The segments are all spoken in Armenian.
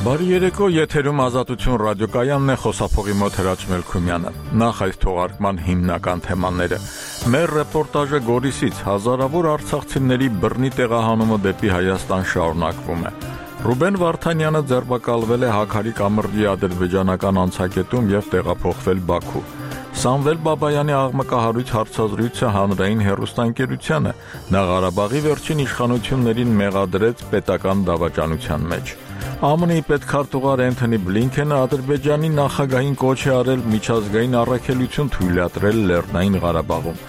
Բարի երեկո, եթերում Ազատություն ռադիոկայանն է, խոսափողի մոտ Հրաչ Մելքումյանը։ Նախ այս թողարկման հիմնական թեմաները։ Մեր ռեպորտաժը Գորիսից հազարավոր արցախցիների բռնի տեղահանումը դեպի Հայաստան շարունակվում է։ Ռուբեն Վարդանյանը ձերբակալվել է Հաքարի կամրջի ադրբեջանական անցակետում և տեղափոխվել Բաքու։ Սամվել Բաբայանի աղմկահարույց հարցազրույցը հանրային հեռուստաընկերությանը նա Ղարաբաղի վերջին իշխանություններին մեղադրեց պետական դավաճանության մեջ։ ԱՄՆ-ի պետքարտուղար Էնթոնի Բլինքենը Ադրբեջանի նախագահին կոչ է արել միջազգային առաքելություն թույլատրել Լեռնային Ղարաբաղում։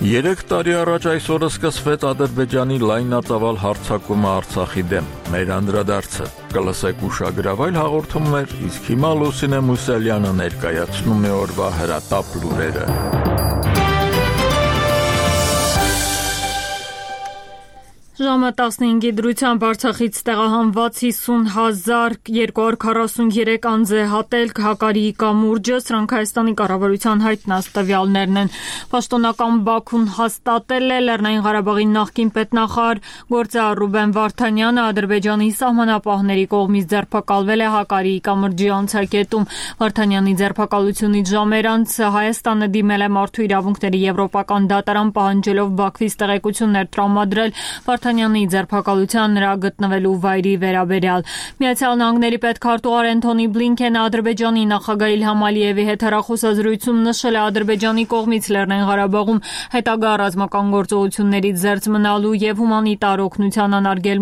3 տարի առաջ այսօրը սկսվեց Ադրբեջանի լայնածավալ հարձակումը Արցախի դեմ։ Մեր անդրադարձը կլսեք ուշագրավայր հաղորդումներ, իսկ հիմա Լուսինե Մուսալյանը ներկայացնում է օրվա հրատապ լուրերը։ Ժամը 15-ի դրությամբ Արցախից տեղահանված 50,243 անձ է հատել Հակարի կամուրջը, սրանք Հայաստանի կառավարության հայտնած տվյալներն են։ Պաշտոնական Բաքուն հաստատել է Լեռնային Ղարաբաղի նախկին պետնախարար գործարար Ռուբեն Վարդանյանը Ադրբեջանի սահմանապահների կողմից ձերբակալվել է Հակարի կամրջի անցակետում։ Վարդանյանի ձերբակալությունից ժամեր անց Հայաստանը դիմել է Մարդու իրավունքների եվրոպական դատարան պահանջելով Բաքվից տեղեկություններ տրամադրել Վարդանյանի ձերբակալության նրա գտնվելու վայրի վերաբերյալ։ Միացյալ Նահանգների պետքարտուղար Էնթոնի Բլինքենը Ադրբեջանի նախագահ Իլհամ Ալիևի հետ հեռախոսազրույցում նշել է Ադրբեջանի կողմից Լեռնային Ղարաբաղում հետագա ռազմական գործողություններից զերծ մնալու և հումանիտար օգնության անարգել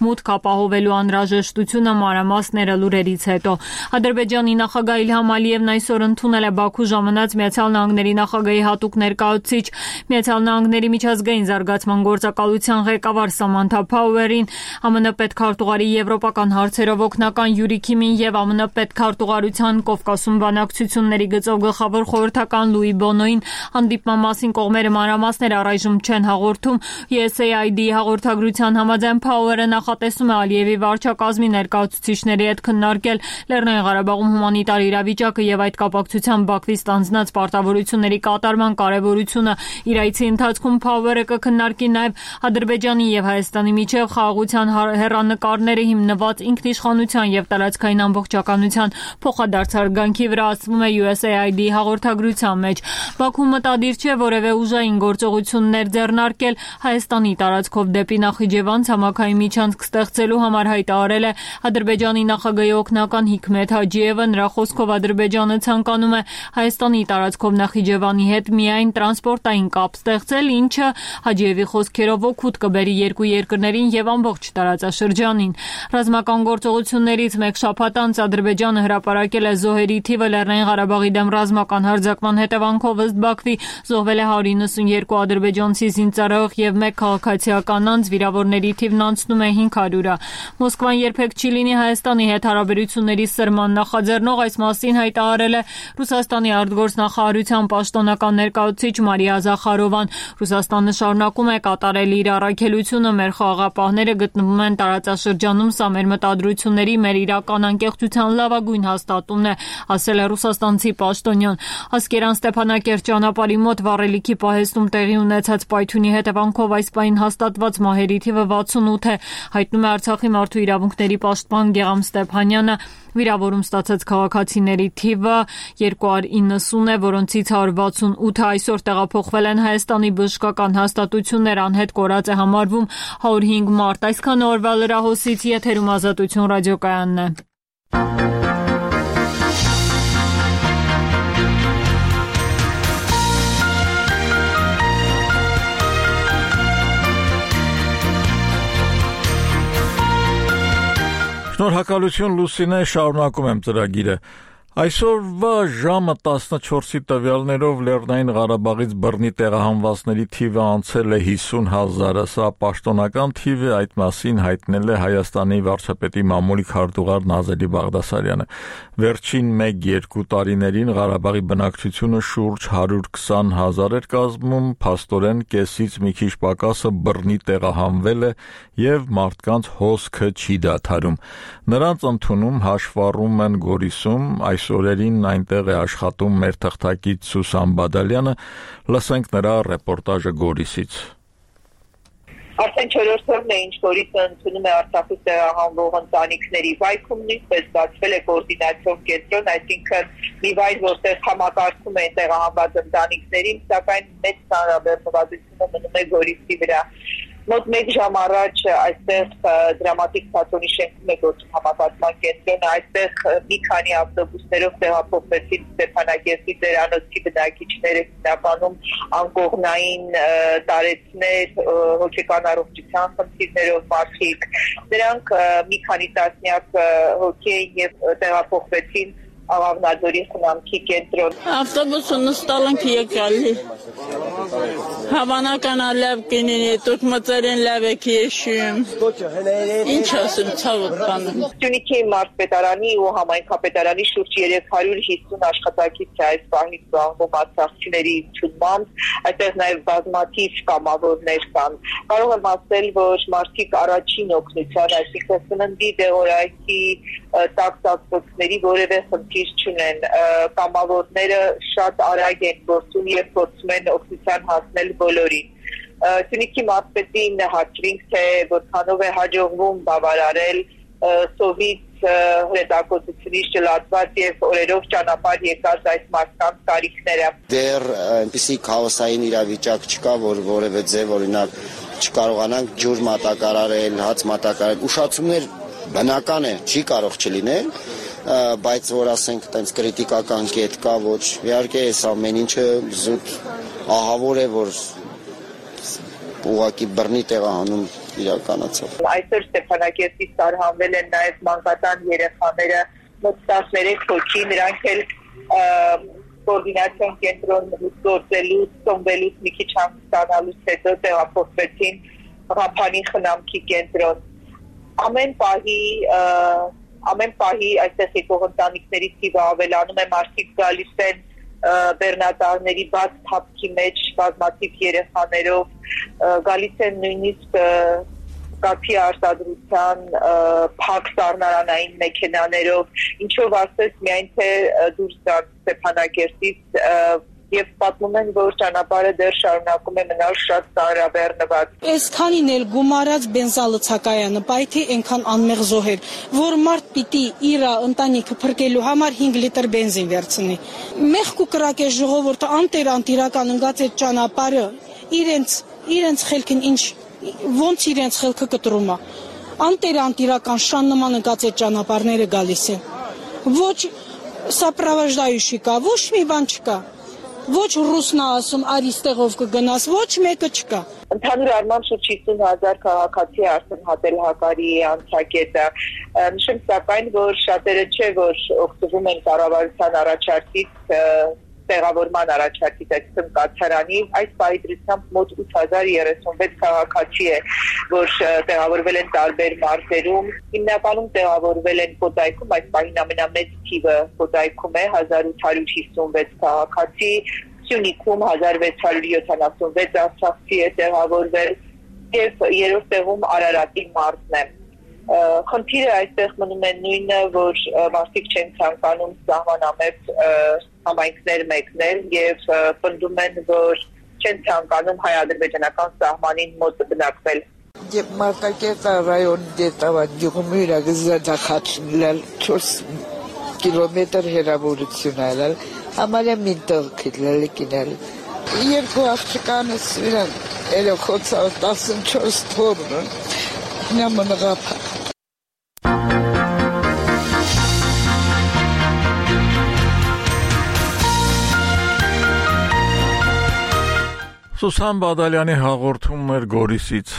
մուտք ապահովելու անհրաժեշտությունը մանրամասները լուրերից հետո։ Ադրբեջանի նախագահ Իլհամ Ալիևն այսօր ընդունել է Բաքու ժամանած Միացյալ Նահանգների նախագահի հատուկ ներկայացուցիչ Միացյալ Նահանգների միջազգային զարգացման գործակալության ղեկավար Սամանթա Փաուերին, ԱՄՆ պետքարտուղարի եվրոպական հարցերով օգնական Յուրի Քիմին և ԱՄՆ պետքարտուղարության Կովկասում բանակցությունների գծով գլխավոր խորհրդական Լուի Բոնոին հանդիպման մասին կողմերը մանրամասներ առայժմ չեն հաղորդում։ USAID-ի հաղորդագրության համաձայն Փաուերը նախատեսում է Ալիևի վարչակազմի ներկայացուցիչների հետ քննարկել Լեռնային Ղարաբաղում հումանիտար իրավիճակը և այդ կապակցությամբ Բաքվից ստանձնած պարտավորությունների կատարման կարևորությունը։ Իր այցի ընթացքում Փաուերը կքննարկի նաև Ադրբեջանի և Հայաստանի միջև խաղաղության հեռանկարները հիմնված ինքնիշխանության և տարածքային ամբողջականության փոխադարձ հարգանքի վրա, ասվում է USAID-ի հաղորդագրության մեջ։ Բաքուն մտադիր չէ որևէ ուժային գործողություններ ձեռնարկել Հայաստանի տարածքով դեպի Նախիջևան ցամաքային միջանցք ստեղծելու համար, հայտարարել է Ադրբեջանի նախագահի օգնական Հիկմեթ Հաջիևը։ Նրա խոսքով Ադրբեջանը ցանկանում է Հայաստանի տարածքով Նախիջևանի հետ միայն տրանսպորտային կապ ստեղծել, ինչը Հաջիևի խոսքերով օգուտ կբերի երկու երկրներին և ամբողջ տարածաշրջանին։ Ռազմական գործողություններից մեկ շաբաթ անց Ադրբեջանը հրապարակել է զոհերի թիվը Լեռնային Ղարաբաղի դեմ ռազմական հարձակման հետևանքով ըստ Բաքվի զոհվել է 192 ադրբեջանցի զինծառայող և 1 քաղաքացիական անձ, վիրավորների թիվն անցնում է 500-ը։ Մոսկվան երբեք չի լինի Հայաստանի հետ հարաբերությունների սրման նախաձեռնող, այս մասին հայտարարել է Ռուսաստանի արտգործնախարարության պաշտոնական ներկայացուցիչ Մարիա Զախարովան։ Ռուսաստանը շարունակում է կատարել իր առաքելությունը, մեր խաղաղապահները գտնվում են տարածաշրջանում, սա մեր մտադրությունների, մեր իրական անկեղծության լավագույն հաստատումն է, ասել է ռուսաստանցի պաշտոնյան։ Ասկերան Ստեփանակերտ ճանապարհի մոտ վառելիքի պահեստում տեղի ունեցած պայթյունի հետևանքով այս պահին հաստատված մահերի թիվը 68 է, հայտնում է Արցախի մարդու իրավունքների պաշտպան Գեղամ Ստեփանյանը։ Վիրավորում ստացած քաղաքացիների թիվը 290 է, որոնցից 168-ը այսօր տեղափոխվել են Հայաստանի բժշկական հաստատություններ, անհետ կորած է համարվում 105 մարդ։ Այսքան օրվա լրահոսից, եթերում Ազատություն ռադիոկայանն է։ Շնորհակալություն Լուսինե, շարունակում եմ ծրագիրը։ Այսօրվա ժամը 14-ի տվյալներով Լեռնային Ղարաբաղից բռնի տեղահանվածների թիվը անցել է 50,000-ը, սա պաշտոնական թիվ է, այդ մասին հայտնել է Հայաստանի վարչապետի մամուլի քարտուղար Նազելի Բաղդասարյանը։ Վերջին 1-2 տարիներին Ղարաբաղի բնակչությունը շուրջ 120,000 էր կազմում, փաստորեն կեսից մի քիչ պակասը բռնի տեղահանվել է և մարդկանց հոսքը չի դադարում։ Նրանց ընդունում հաշվառում են Գորիսում, այս օրերին այնտեղ է աշխատում մեր թղթակից Սուսան Բադալյանը, լսենք նրա ռեպորտաժը Գորիսից։ Արդեն 4-րդն է, ինչ որից ընդունում է Արցախից տեղահանվող ընտանիքների վայքում, նույնպես ստացվել է կոորդինացիոն կենտրոն, այսինքն մի վայր, որտեղ համակարգում են տեղահանված ընտանիքներին, սակայն մեծ ծանրաբեռնվածությունը մնում է Գորիսի վրա։ Մոտ 1 ժամ առաջ այստեղ դրամատիկ թատրոնի շենքում է գործում համակարգման կենտրոնը, այստեղ մի քանի ավտոբուսներով տեղափոխվեցին Ստեփանակերտի ծերանոցի բնակիչները, հիմնականում անկողնային տարեցներ, հոգեկան առողջության խնդիրներով մարդիկ։ Նրանք մի քանի տասնյակ հոգի էին եւ տեղափոխվեցին Աղավնաձորի խնամքի կենտրոն։ Ավտոբուսը նստալ ենք եկալի։ Հավանական լավ կինին է, դուք մծերեն լավ եք եշում։ Ինչ ասեմ, ցավոտ բանում։ Սյունիքի մարզպետարանի ու համայնքապետարանի շուրջ 350 աշխատակից է այս պահին զբաղվում արցախցիների ընդունմամբ, այդտեղ նաև բազմաթիվ կամավորներ կան։ Կարող եմ ասել, որ մարդիկ առաջին օգնության, այսինքն սննդի դեղորայքի տակտակների որևէ խնդիր չունեն, կամավորները շատ արագ են գործում եւ փորձում են օգնության հասնել բոլորին։ Սյունիքի մարզպետին հաշվինք, թե որքանով է հաջողվում բավարարել սովից հրետակոծությունից ճլատված եւ օրերով ճանապարհ եկած այս մարդկանց կարիքները։ Դեռ այնպիսի քաոսային իրավիճակ չկա, որ որևէ ձև օրինակ չկարողանանք ջուր մատակարարել, հաց մատակարարել, ուշացումներ բնական է, չի կարող չլինել, բայց որ ասենք տենց կրիտիկական կետ կա, ոչ, իհարկե այս ամեն ինչը զուտ ահավոր է, որ ուղղակի բռնի տեղահանում իրականացավ։ Այսօր Ստեփանակերտից տարհանվել են նաև մանկատան երեխաները, մոտ 13 հոգի, նրանք էլ կոորդինացիոն կենտրոն գործելուց, ծնվելուց մի քիչ հանգստանալուց հետո տեղափոխվեցին Ղափանի խնամքի կենտրոն։ Ամեն պահի այստեղ եկող ընտանիքների թիվը ավելանում է, մարդիկ գալիս են բեռնատարների բաց թափքի մեջ բազմաթիվ երեխաներով, գալիս են նույնիսկ կաթի արտադրության փակ սառնարանային մեքենաներով, ինչով ասես միայն թե դուրս գան Ստեփանակերտից եւ պատմում են, որ ճանապարհը դեռ շարունակում է մնալ շատ ծանրաբեռնված։ Այսքանին էլ գումարած բենզալցակայանը պայթի այնքան անմեղ զոհեր, որ մարդ պիտի իր ընտանիքը փրկելու համար 5 լիտր բենզին վերցնի։ Մեղք ու կրակ է ժողովուրդը անտերանտիրական ընկած այդ ճանապարհը իրենց խելքին ինչ ոնց իրենց խելքը կտրում է։ Անտերանտիրական շան նման ընկած այդ ճանապարհները գալիս են։ Ոչ սապրավաժդայուշի կա, ոչ մի բան չկա։ Ոչ ռուսնա ասում արիստեղով կգնաս, ոչ մեկը չկա։ Ընդհանուր առմամբ շուրջ 50,000 քաղաքացի արտահայտել Հակարի անցակետը։ Նշեմ սակայն, որ շատերը չէ, որ օգտվում են կառավարության առաջարկից, տեղավորման առաջարկից, այսինքն կացարանի, այս պահի դրությամբ մոտ 8036 քաղաքացի է, որ տեղավորվել են տարբեր մարզերում, հիմնականում տեղավորվել են Կոտայքում, այս պահին ամենամեծ թիվը Կոտայքում է 1856 քաղաքացի, Սյունիքում 1676 արցախցի է տեղավորվել եւ երրորդ տեղում Արարատի մարզն է։ Խնդիրը այստեղ մնում է նույնը, որ մարդիկ չեն ցանկանում սահմանամետ համայնքներ մեկնել եւ պնդում են, որ չեն ցանկանում հայ-ադրբեջանական սահմանին մոտ բնակվել։ Եվ Մարտակերտի ռայոնի դետավան գյուղում իրագզադախացնել 4 կիլոմետր հեռավորություն այլալ, համարյա մի տեղ քիլել կինել։ Երկու աղջկանս իրան երեխոցա 14 թորն նամնղապ Սուսան Բադալյանի հաղորդումն էր Գորիսից։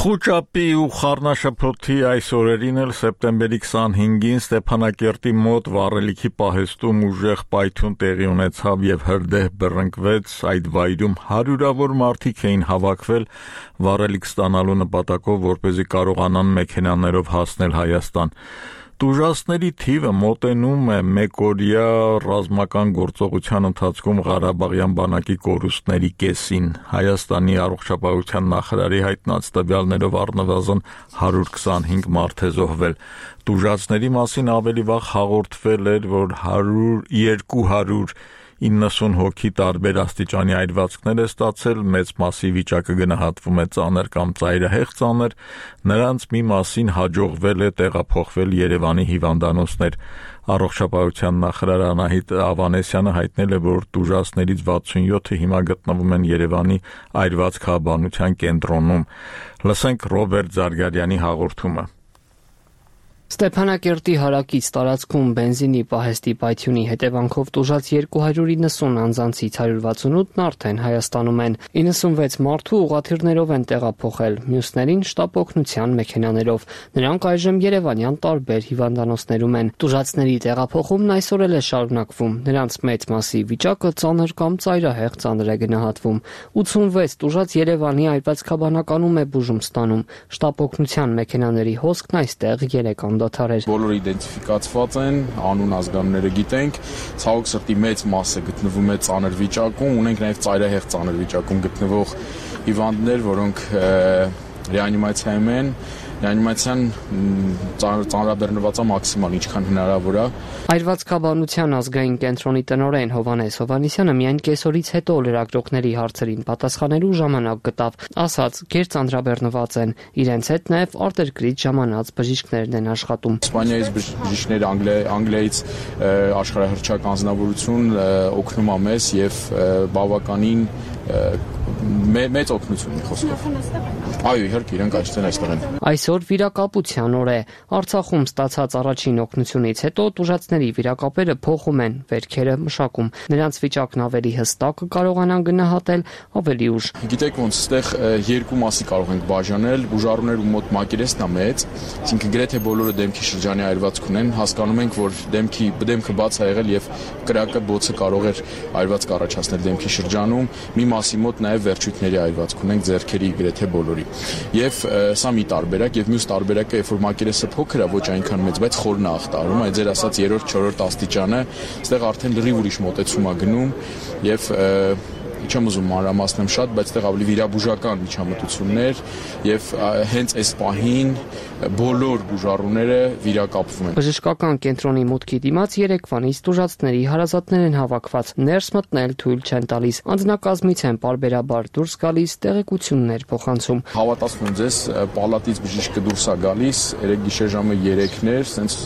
Խուճապի ու խառնաշփոթի այս օրերին էլ սեպտեմբերի 25-ին Ստեփանակերտի մոտ վառելիքի պահեստում ուժեղ պայթյուն տեղի ունեցավ եւ հրդեհ բռնկվեց, այդ վայրում հարյուրավոր մարդիկ էին հավաքվել վառելիք ստանալու նպատակով, որպեսզի կարողանան մեքենաներով հասնել Հայաստան։ Տուժածների թիվը մոտենում է մեկօրյա ռազմական գործողության ընթացքում Ղարաբաղյան բանակի կորուստների կեսին։ Հայաստանի առողջապահության նախարարի հայտնած տվյալներով առնվազն 125 մարդ է զոհվել։ Տուժածների մասին ավելի վաղ հաղորդվել էր, որ 290 հոգի տարբեր աստիճանի այրվածքներ է ստացել, մեծ մասի վիճակը գնահատվում է ծանր կամ ծայրահեղ ծանր, նրանց մի մասին հաջողվել է տեղափոխվել Երևանի հիվանդանոցներ։ Առողջապահության նախարար Անահիտ Ավանեսյանը հայտնել է, որ տուժածներից 67-ը հիմա գտնվում են Երևանի այրվածքաբանության կենտրոնում։ Լսենք Ռոբերտ Զարգարյանի հաղորդումը։ Ստեփանակերտի հարակից տարածքում բենզինի պահեստի պայթյունի հետևանքով տուժած 290 անձանցից 168-ն արդեն Հայաստանում են, 96 մարդու ուղղաթիռներով են տեղափոխել, մյուսներին շտապ օգնության մեքենաներով։ Նրանք այժմ երևանյան տարբեր հիվանդանոցներում են։ Տուժածների տեղափոխումն այսօր էլ է շարունակվում։ Նրանց մեծ մասի վիճակը ծանր կամ ծայրահեղ ծանր է գնահատվում։ 86 տուժած Երևանի այրվածքաբանականում է բուժում ստանում։ Շտապ օգնության մեքենաների հոսքն այստեղ 3 Բոլորը իդենտիֆիկացված են, անուն ազգանունները գիտենք, ցավոք սրտի մեծ մասը գտնվում է ծանր վիճակում, ունենք նաև ծայրահեղ ծանր վիճակում գտնվող հիվանդներ, որոնք ռեանիմացիայում են, ռեանիմացիան ծանրաբեռնված է մաքսիմալ, ինչքան հնարավոր է։ Այրվածքաբանության ազգային կենտրոնի տնօրեն Հովհաննես Հովհաննիսյանը միայն կեսօրից հետո լրագրողների հարցերին պատասխանելու ժամանակ գտավ, ասաց, գերծանրաբեռնված են, իրենց հետ նաև արտերկրից ժամանած բժիշկներն են աշխատում։ Իսպանիայից բժիշկներ, Անգլիայից աշխարհահռչակ անձնավորություն օգնում է մեզ եւ բավականին մեծ օգնություն մի խոսքով։ Այո, իհարկե, իրենք այստեղ են։ Այսօր վիրակապության օր է։ Արցախում ստացած առաջին օգնությունից հետո տուժածների վիրակապերը փոխում են, վերքերը մշակում։ Նրանց վիճակն ավելի հստակ կարողանան գնահատել ավելի ուշ։ Գիտեք ոնց, այստեղ երկու մասի կարող ենք բաժանել, բուժառուներ ու մոտ մակերեսն է մեծ, այսինքն գրեթե բոլորը դեմքի շրջանի այրվածք ունեն, հասկանում ենք, որ դեմքը բաց է եղել եւ կրակը բոցը կարող էր այրվածք առաջացնել դեմքի շրջանում, մի մասի մոտ նաև վերջույթների այրվածք ունենք ձեռքերի գրեթե բոլորի։ Եվ սա մի տարբերակ եւ մյուս տարբերակը, երբ որ մակերեսը փոքր է, ոչ այնքան մեծ, բայց խորն է ախտարում, այդ ձեր ասած 3-րդ, 4-րդ աստիճանը, այստեղ արդեն լրիվ ուրիշ մոտեցում է գնում եւ չեմ ուզում մանրամասնեմ շատ, բայց այդտեղ ավելի վիրաբուժական միջամտություններ եւ հենց այս պահին բոլոր բուժառուները վիրակապվում են։ Բժշկական կենտրոնի մուտքի դիմաց Երևանից տուժածների հարազատներ են հավաքված, ներս մտնել թույլ չեն տալիս, անձնակազմից են պարբերաբար դուրս գալիս, տեղեկություններ փոխանցում։ Հավատացնում ձեզ, պալատից բժիշկը դուրս է գալիս, երեք գիշեր ժամը 3-ներ, սենց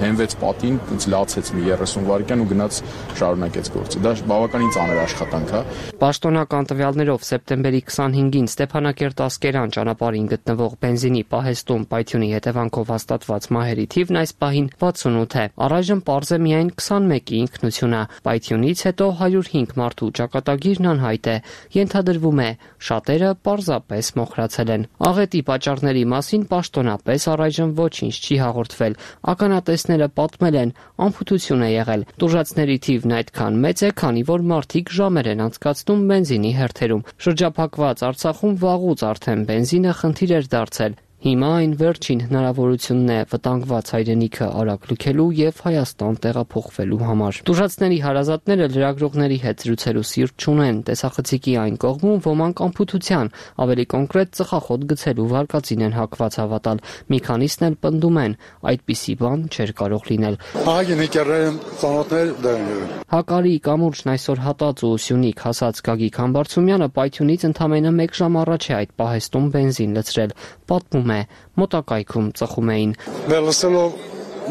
հենվեց պատին, սենց լացեց մի 30 վայրկյան ու գնաց շարունակեց գործը։ Դա բավականին ծանր աշխատանք է։ Պաշտոնական տվյալներով սեպտեմբերի 25-ին Ստեփանակերտ-Ասկերան ճանապարհին գտնվող բենզինի պահեստում պայթյունի հետևանքով հաստատված մահերի թիվն այս պահին 68 է։ Առայժմ պարզ է միայն 21-ի ինքնությունը։ Պայթյունից հետո 105 մարդու ճակատագիրն անհայտ է։ Ենթադրվում է, շատերը պարզապես մոխրացել են։ Աղետի պատճառների մասին պաշտոնապես առայժմ ոչինչ չի հաղորդվել։ Ականատեսները պատմել են, անփութություն է եղել։ Տուժածների թիվն այդքան մեծ է, քանի որ մարդիկ ժամեր են անցկացնում բենզինի հերթերում։ Շրջափակված Արցախում վաղուց արդեն բենզինը խնդիր էր դարձել։ Հիմա այն վերջին հնարավորությունն է վտանգված հայրենիքը արագ լքելու եւ Հայաստան տեղափոխվելու համար։ Տուժածների հարազատները լրագրողների հետ զրուցելու սիրտ չունեն, տեսախցիկի այն կողմում ոմանք անփութության, ավելի կոնկրետ ծխախոտ գցելու վարկածին են հակված հավատալ։ Մի քանիսն էլ պնդում են, այդպիսի բան չէր կարող լինել։ Հակարի կամուրջն այսօր հատած ու Սյունիք հասած Գագիկ Համբարձումյանը պայթյունից ընդամենը 1 ժամ առաջ է այդ պահեստում բենզին լցրել։ Պատմում է, մոտակայքում ծխում էին։ Լսելով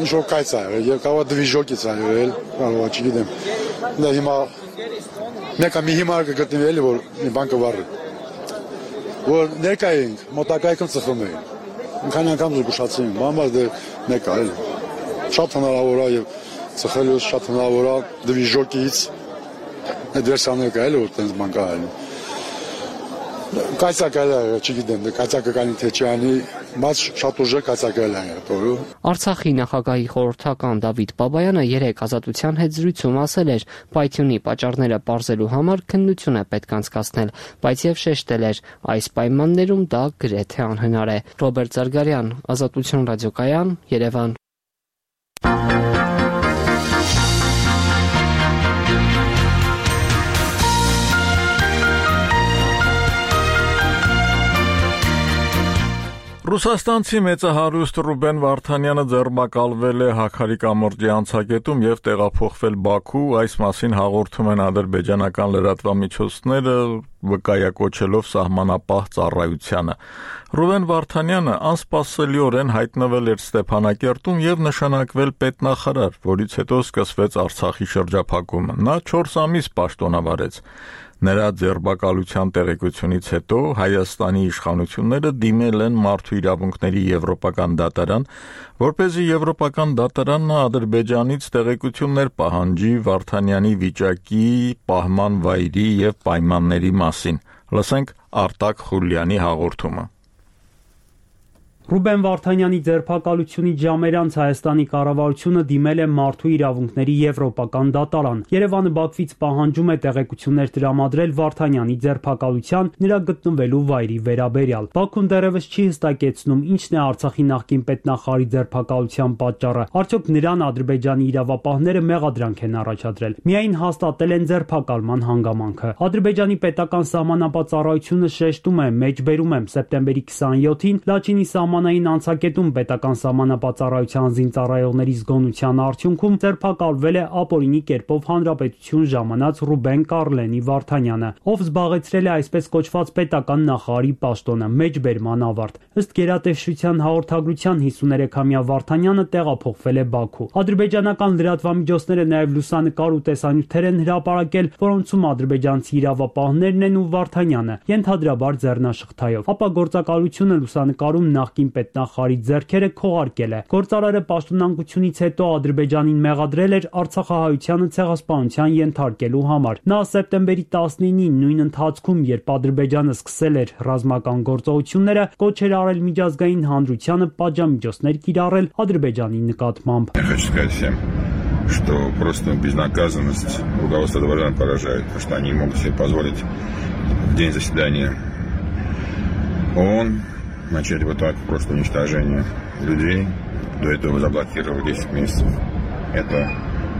ինչ-որ կայծ է եղել, եւ կարող դվիժոկից է եղել, կարող չգիտեմ։ Դա հիմա մեկը մի հիմար կգտնվի էլի, որ մի բան կվառի։ Որ ներկա ենք, մոտակայքում ծխում էին։ Քանի անգամ զգուշացին, բամբար դե մեկը էլի։ Շատ հնարավոր է եւ ծխելուց շատ հնարավոր է դվիժոկից այդ վերսիաները կա էլի, որ տենց բան կա էլի։ Կայծակալը, չգիտեմ, կայծակալի թե չանի, բայց շատ ուժեղ կայծակալ է տորու։ Արցախի նախագահի խորհրդական Դավիթ Բաբայանը 3 Ազատության հետ զրույցում ասել էր, պայթյունի պատճառները պարզելու համար քննություն է պետք անցկացնել, բայց եւ շեշտել էր, այս պայմաններում դա գրեթե անհնար է։ Ռոբերտ Զարգարյան, Ազատություն ռադիոկայան, Երևան։ Ռուսաստանցի մեծահարուստ Ռուբեն Վարդանյանը ձերբակալվել է Հաքարի կամրջի անցակետում եւ տեղափոխվել Բաքու, այս մասին հաղորդում են ադրբեջանական լրատվամիջոցները, վկայակոչելով սահմանապահ ծառայությանը։ Ռուբեն Վարդանյանը անսպասելիորեն հայտնվել էր Ստեփանակերտում եւ նշանակվել պետնախարար, որից հետո սկսվեց Արցախի շրջափակումը։ Նա 4 ամիս պաշտոնավարեց։ Նրա ձերբակալության տեղեկությունից հետո Հայաստանի իշխանությունները դիմել են Մարդու իրավունքների եվրոպական դատարան, որպեսզի եվրոպական դատարանն Ադրբեջանից տեղեկություններ պահանջի Վարդանյանի վիճակի, պահման վայրի եւ պայմանների մասին։ Լսենք Արտակ Խուլյանի հաղորդումը։ Ռուբեն Վարդանյանի ձերբակալությունից ժամեր անց Հայաստանի կառավարությունը դիմել է Մարդու իրավունքների եվրոպական դատարան։ Երևանը Բաքվից պահանջում է տեղեկություններ տրամադրել Վարդանյանի ձերբակալության, նրա գտնվելու վայրի վերաբերյալ։ Բաքուն դեռևս չի հստակեցնում ինչն է Արցախի նախկին պետնախարարի ձերբակալության պատճառը։ Արդյոք նրան Ադրբեջանի իրավապահները մեղադրանք են առաջադրել։ Միայն հաստատել են ձերբակալման հանգամանքը։ Ադրբեջանի պետական սահմանապահ ծառայությունը շեշտում է, մեջբերում եմ սեպտեմբերի 27-ին Լաչինի սահմանային անցակետում պետական սահմանապահ ծառայության զինծառայողների զգոնության արդյունքում ձերբակալվել է ապօրինի կերպով հանրապետություն ժամանած Ռուբեն Կարլենի Վարդանյանը, ով զբաղեցրել է այսպես կոչված պետական նախարարի պաշտոնը, մեջբերման ավարտ։ Ըստ գերատեսչության հաղորդագրության 53-ամյա Վարդանյանը տեղափոխվել է Բաքու։ Ադրբեջանական լրատվամիջոցները նաև լուսանկար ու տեսանյութեր են հրապարակել, որոնցում ադրբեջանցի իրավապահներն են ու Վարդանյանը, ենթադրաբար ձեռնաշղթայով։ Ապա գործակալությունը լուսանկարում նախկին պետնախարարի ձեռքերը քողարկել է։ Գործարարը պաշտոնանկությունից հետո Ադրբեջանին մեղադրել էր Արցախահայությանը ցեղասպանության ենթարկելու համար։ Նա սեպտեմբերի 19-ին նույն ընթացքում, երբ Ադրբեջանը սկսել էր ռազմական գործողությունները, կոչ էր արել միջազգային հանրությանը պատժամիջոցներ կիրառել Ադրբեջանի նկատմամբ։ Что просто безнаказанность руководства дворян поражает, потому что они не могут себе позволить в день заседания ООН начать вот так просто уничтожение людей. До этого заблокировали 10 месяцев. Это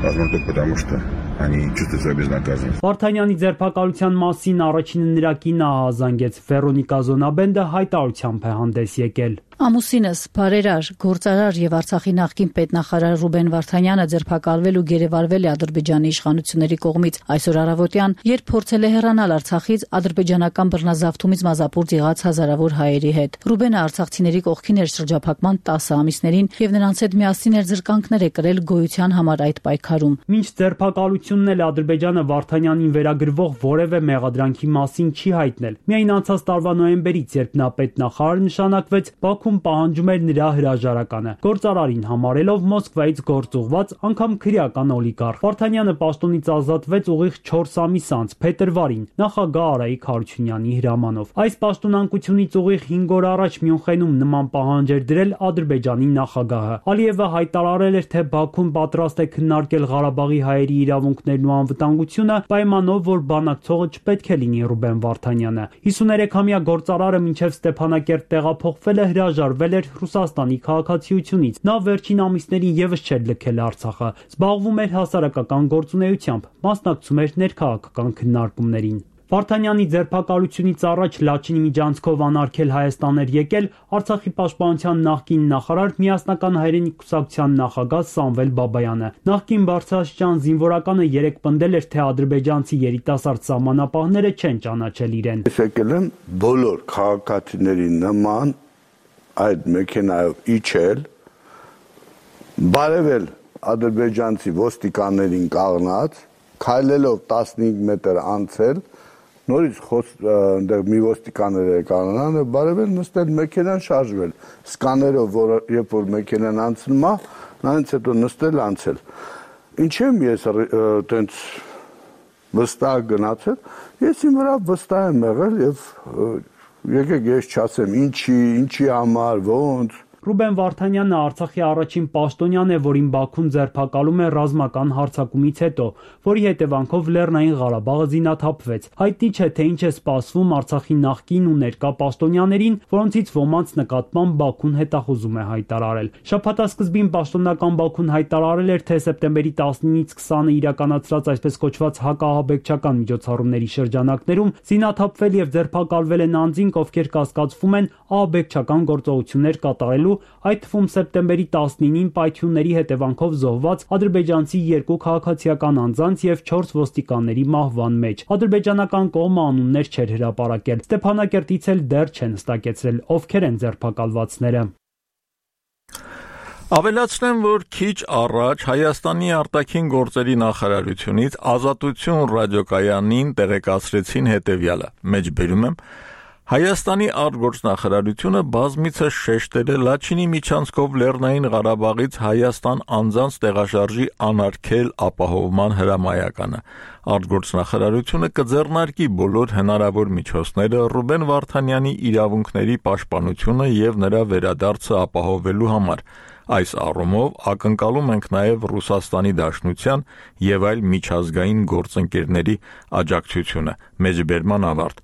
возможно только потому, что они чувствуют свою безнаказанность. Վարդանյանի ձերբակալության մասին առաջինը նրա կինը ահազանգեց։ Վերոնիկա Զոնաբենդը հայտարարությամբ է հանդես եկել։ Ամուսինս, բարերար, գործարար եւ Արցախի նախկին պետնախարար Ռուբեն Վարդանյանը ձերբակալվել ու գերեվարվել է Ադրբեջանի իշխանությունների կողմից այսօր առավոտյան, երբ փորձել է հեռանալ Արցախից ադրբեջանական բռնազավթումից մազապուրծ եղած հազարավոր հայերի հետ։ Ռուբենը արցախցիների կողքին էր շրջափակման 10 ամիսներին եւ նրանց հետ միասին էր զրկանքներ կրել գոյության համար այդ պայքարում։ Մինչ ձերբակալությունն էլ Ադրբեջանը Վարդանյանին վերագրվող որևէ մեղադրանքի մասին չի հայտնել։ Միայն անցած տարվա նոյեմբերից, երբ նա պետնախարար նշանակվեց, Բաքուն պահանջում էր նրա հրաժարականը, գործարարին համարելով Մոսկվայից գործուղված անգամ քրեական օլիգարխ։ Վարդանյանը պաշտոնից ազատվեց ուղիղ 4 ամիս անց, փետրվարին, նախագահ Արայիկ Հարությունյանի հրամանով։ Այս պաշտոնանկությունից ուղիղ 5 օր առաջ Մյունխենում նման պահանջ էր դրել Ադրբեջանի նախագահը։ Ալիևը հայտարարել էր, թե Բաքուն պատրաստ է քննարկել Ղարաբաղի հայերի իրավունքներն ու անվտանգությունը, պայմանով, որ բանակցողը չպետք է լինի Ռուբեն Վարդանյանը։ 53-ամյա գործարարը մինչև Ստեփանակերտ տեղափոխվել է, հրաժարվել էր Ռուսաստանի քաղաքացիությունից։ Նա վերջին ամիսներին եւս չէր լքել Արցախը, զբաղվում էր հասարակական գործունեությամբ, մասնակցում էր ներքաղաքական քննարկումներին։ Վարդանյանի ձերբակալությունից առաջ Լաչինի միջանցքով անարգել Հայաստան էր եկել Արցախի պաշտպանության նախկին նախարար Միասնական հայրենիք կուսակցության նախագահ Սամվել Բաբայանը։ Նախկին բարձրաստիճան զինվորականը երեկ պնդել էր, թե ադրբեջանցի երիտասարդ սահմանապահները չեն ճանաչել իրեն։ Ես եկել եմ բոլոր քաղաքացիների նման այդ մեքենայով իջել, բարևել ադրբեջանցի ոստիկաններին կանգնած, քայլելով 15 մետր անցել, նորից այնտեղ մի ոստիկաններ է կանգնան, բարևել նստել մեքենան շարժվել, սկաներով, որ երբ որ մեքենան անցնում է, նրանից հետո նստել անցել։ Ինչ եմ ես այտենց վստահ գնացել, ես իմ վրա վստահ եմ եղել եւ եկեք ես չասեմ ինչի համար, ոնց, Ռուբեն Վարդանյանը Արցախի առաջին պաշտոնյան է, որին Բաքուն ձերբակալում է ռազմական հարձակումից հետո, որի հետևանքով Լեռնային Ղարաբաղը զինաթափվեց։ Հայտնի չէ, թե ինչ է սպասվում Արցախի նախկին ու ներկա պաշտոնյաներին, որոնցից ոմանց նկատմամբ Բաքուն հետախուզում է հայտարարել։ Շաբաթասկզբին պաշտոնական Բաքուն հայտարարել էր, թե սեպտեմբերի 19-ից 20-ը իրականացրած այսպես կոչված հակաահաբեկչական միջոցառումների շրջանակներում զինաթափվել եւ ձերբակալվել են անձինք, ովքեր կասկածվում են ահաբեկչական գործողություններ կատարելու, այդ թվում սեպտեմբերի 19-ին պայթյունների հետևանքով զոհված ադրբեջանցի 2 քաղաքացիական անձանց եւ 4 ոստիկանների մահվան մեջ։ Ադրբեջանական կողմը անուններ չէր հրապարակել։ Ստեփանակերտից էլ դեռ չեն հստակեցրել, ովքեր են ձերբակալվածները։ Ավելացնեմ, որ քիչ առաջ Հայաստանի արտաքին գործերի նախարարությունից Ազատություն ռադիոկայանին տեղեկացրեցին հետևյալը. մեջբերում եմ, Հայաստանի արտգործնախարարությունը բազմիցս շեշտել է Լաչինի միջանցքով Լեռնային Ղարաբաղից Հայաստան անձանց տեղաշարժի անարգել ապահովման հրամայականը։ Արտգործնախարարությունը կձեռնարկի բոլոր հնարավոր միջոցները Ռուբեն Վարդանյանի իրավունքների պաշտպանությունը եւ նրա վերադարձը ապահովելու համար։ Այս առումով ակնկալում ենք նաև Ռուսաստանի Դաշնության եւ այլ միջազգային գործընկերների աջակցությունը։ Մեջբերման ավարտ։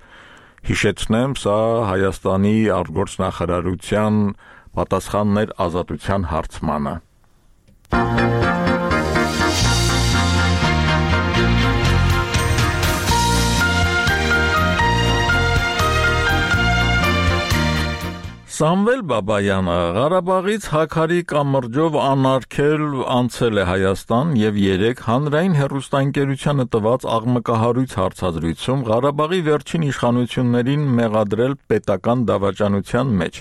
Հիշեցնեմ, սա Հայաստանի արտգործնախարարության պատասխանն էր Ազատության հարցմանը։ Սամվել Բաբայանը Ղարաբաղից Հաքարի կամրջով անարգել անցել է Հայաստան եւ 3 հանրային հեռուստաընկերությանը տված աղմկահարույց հարցազրույցում Ղարաբաղի վերջին իշխանություններին մեղադրել պետական դավաճանության մեջ։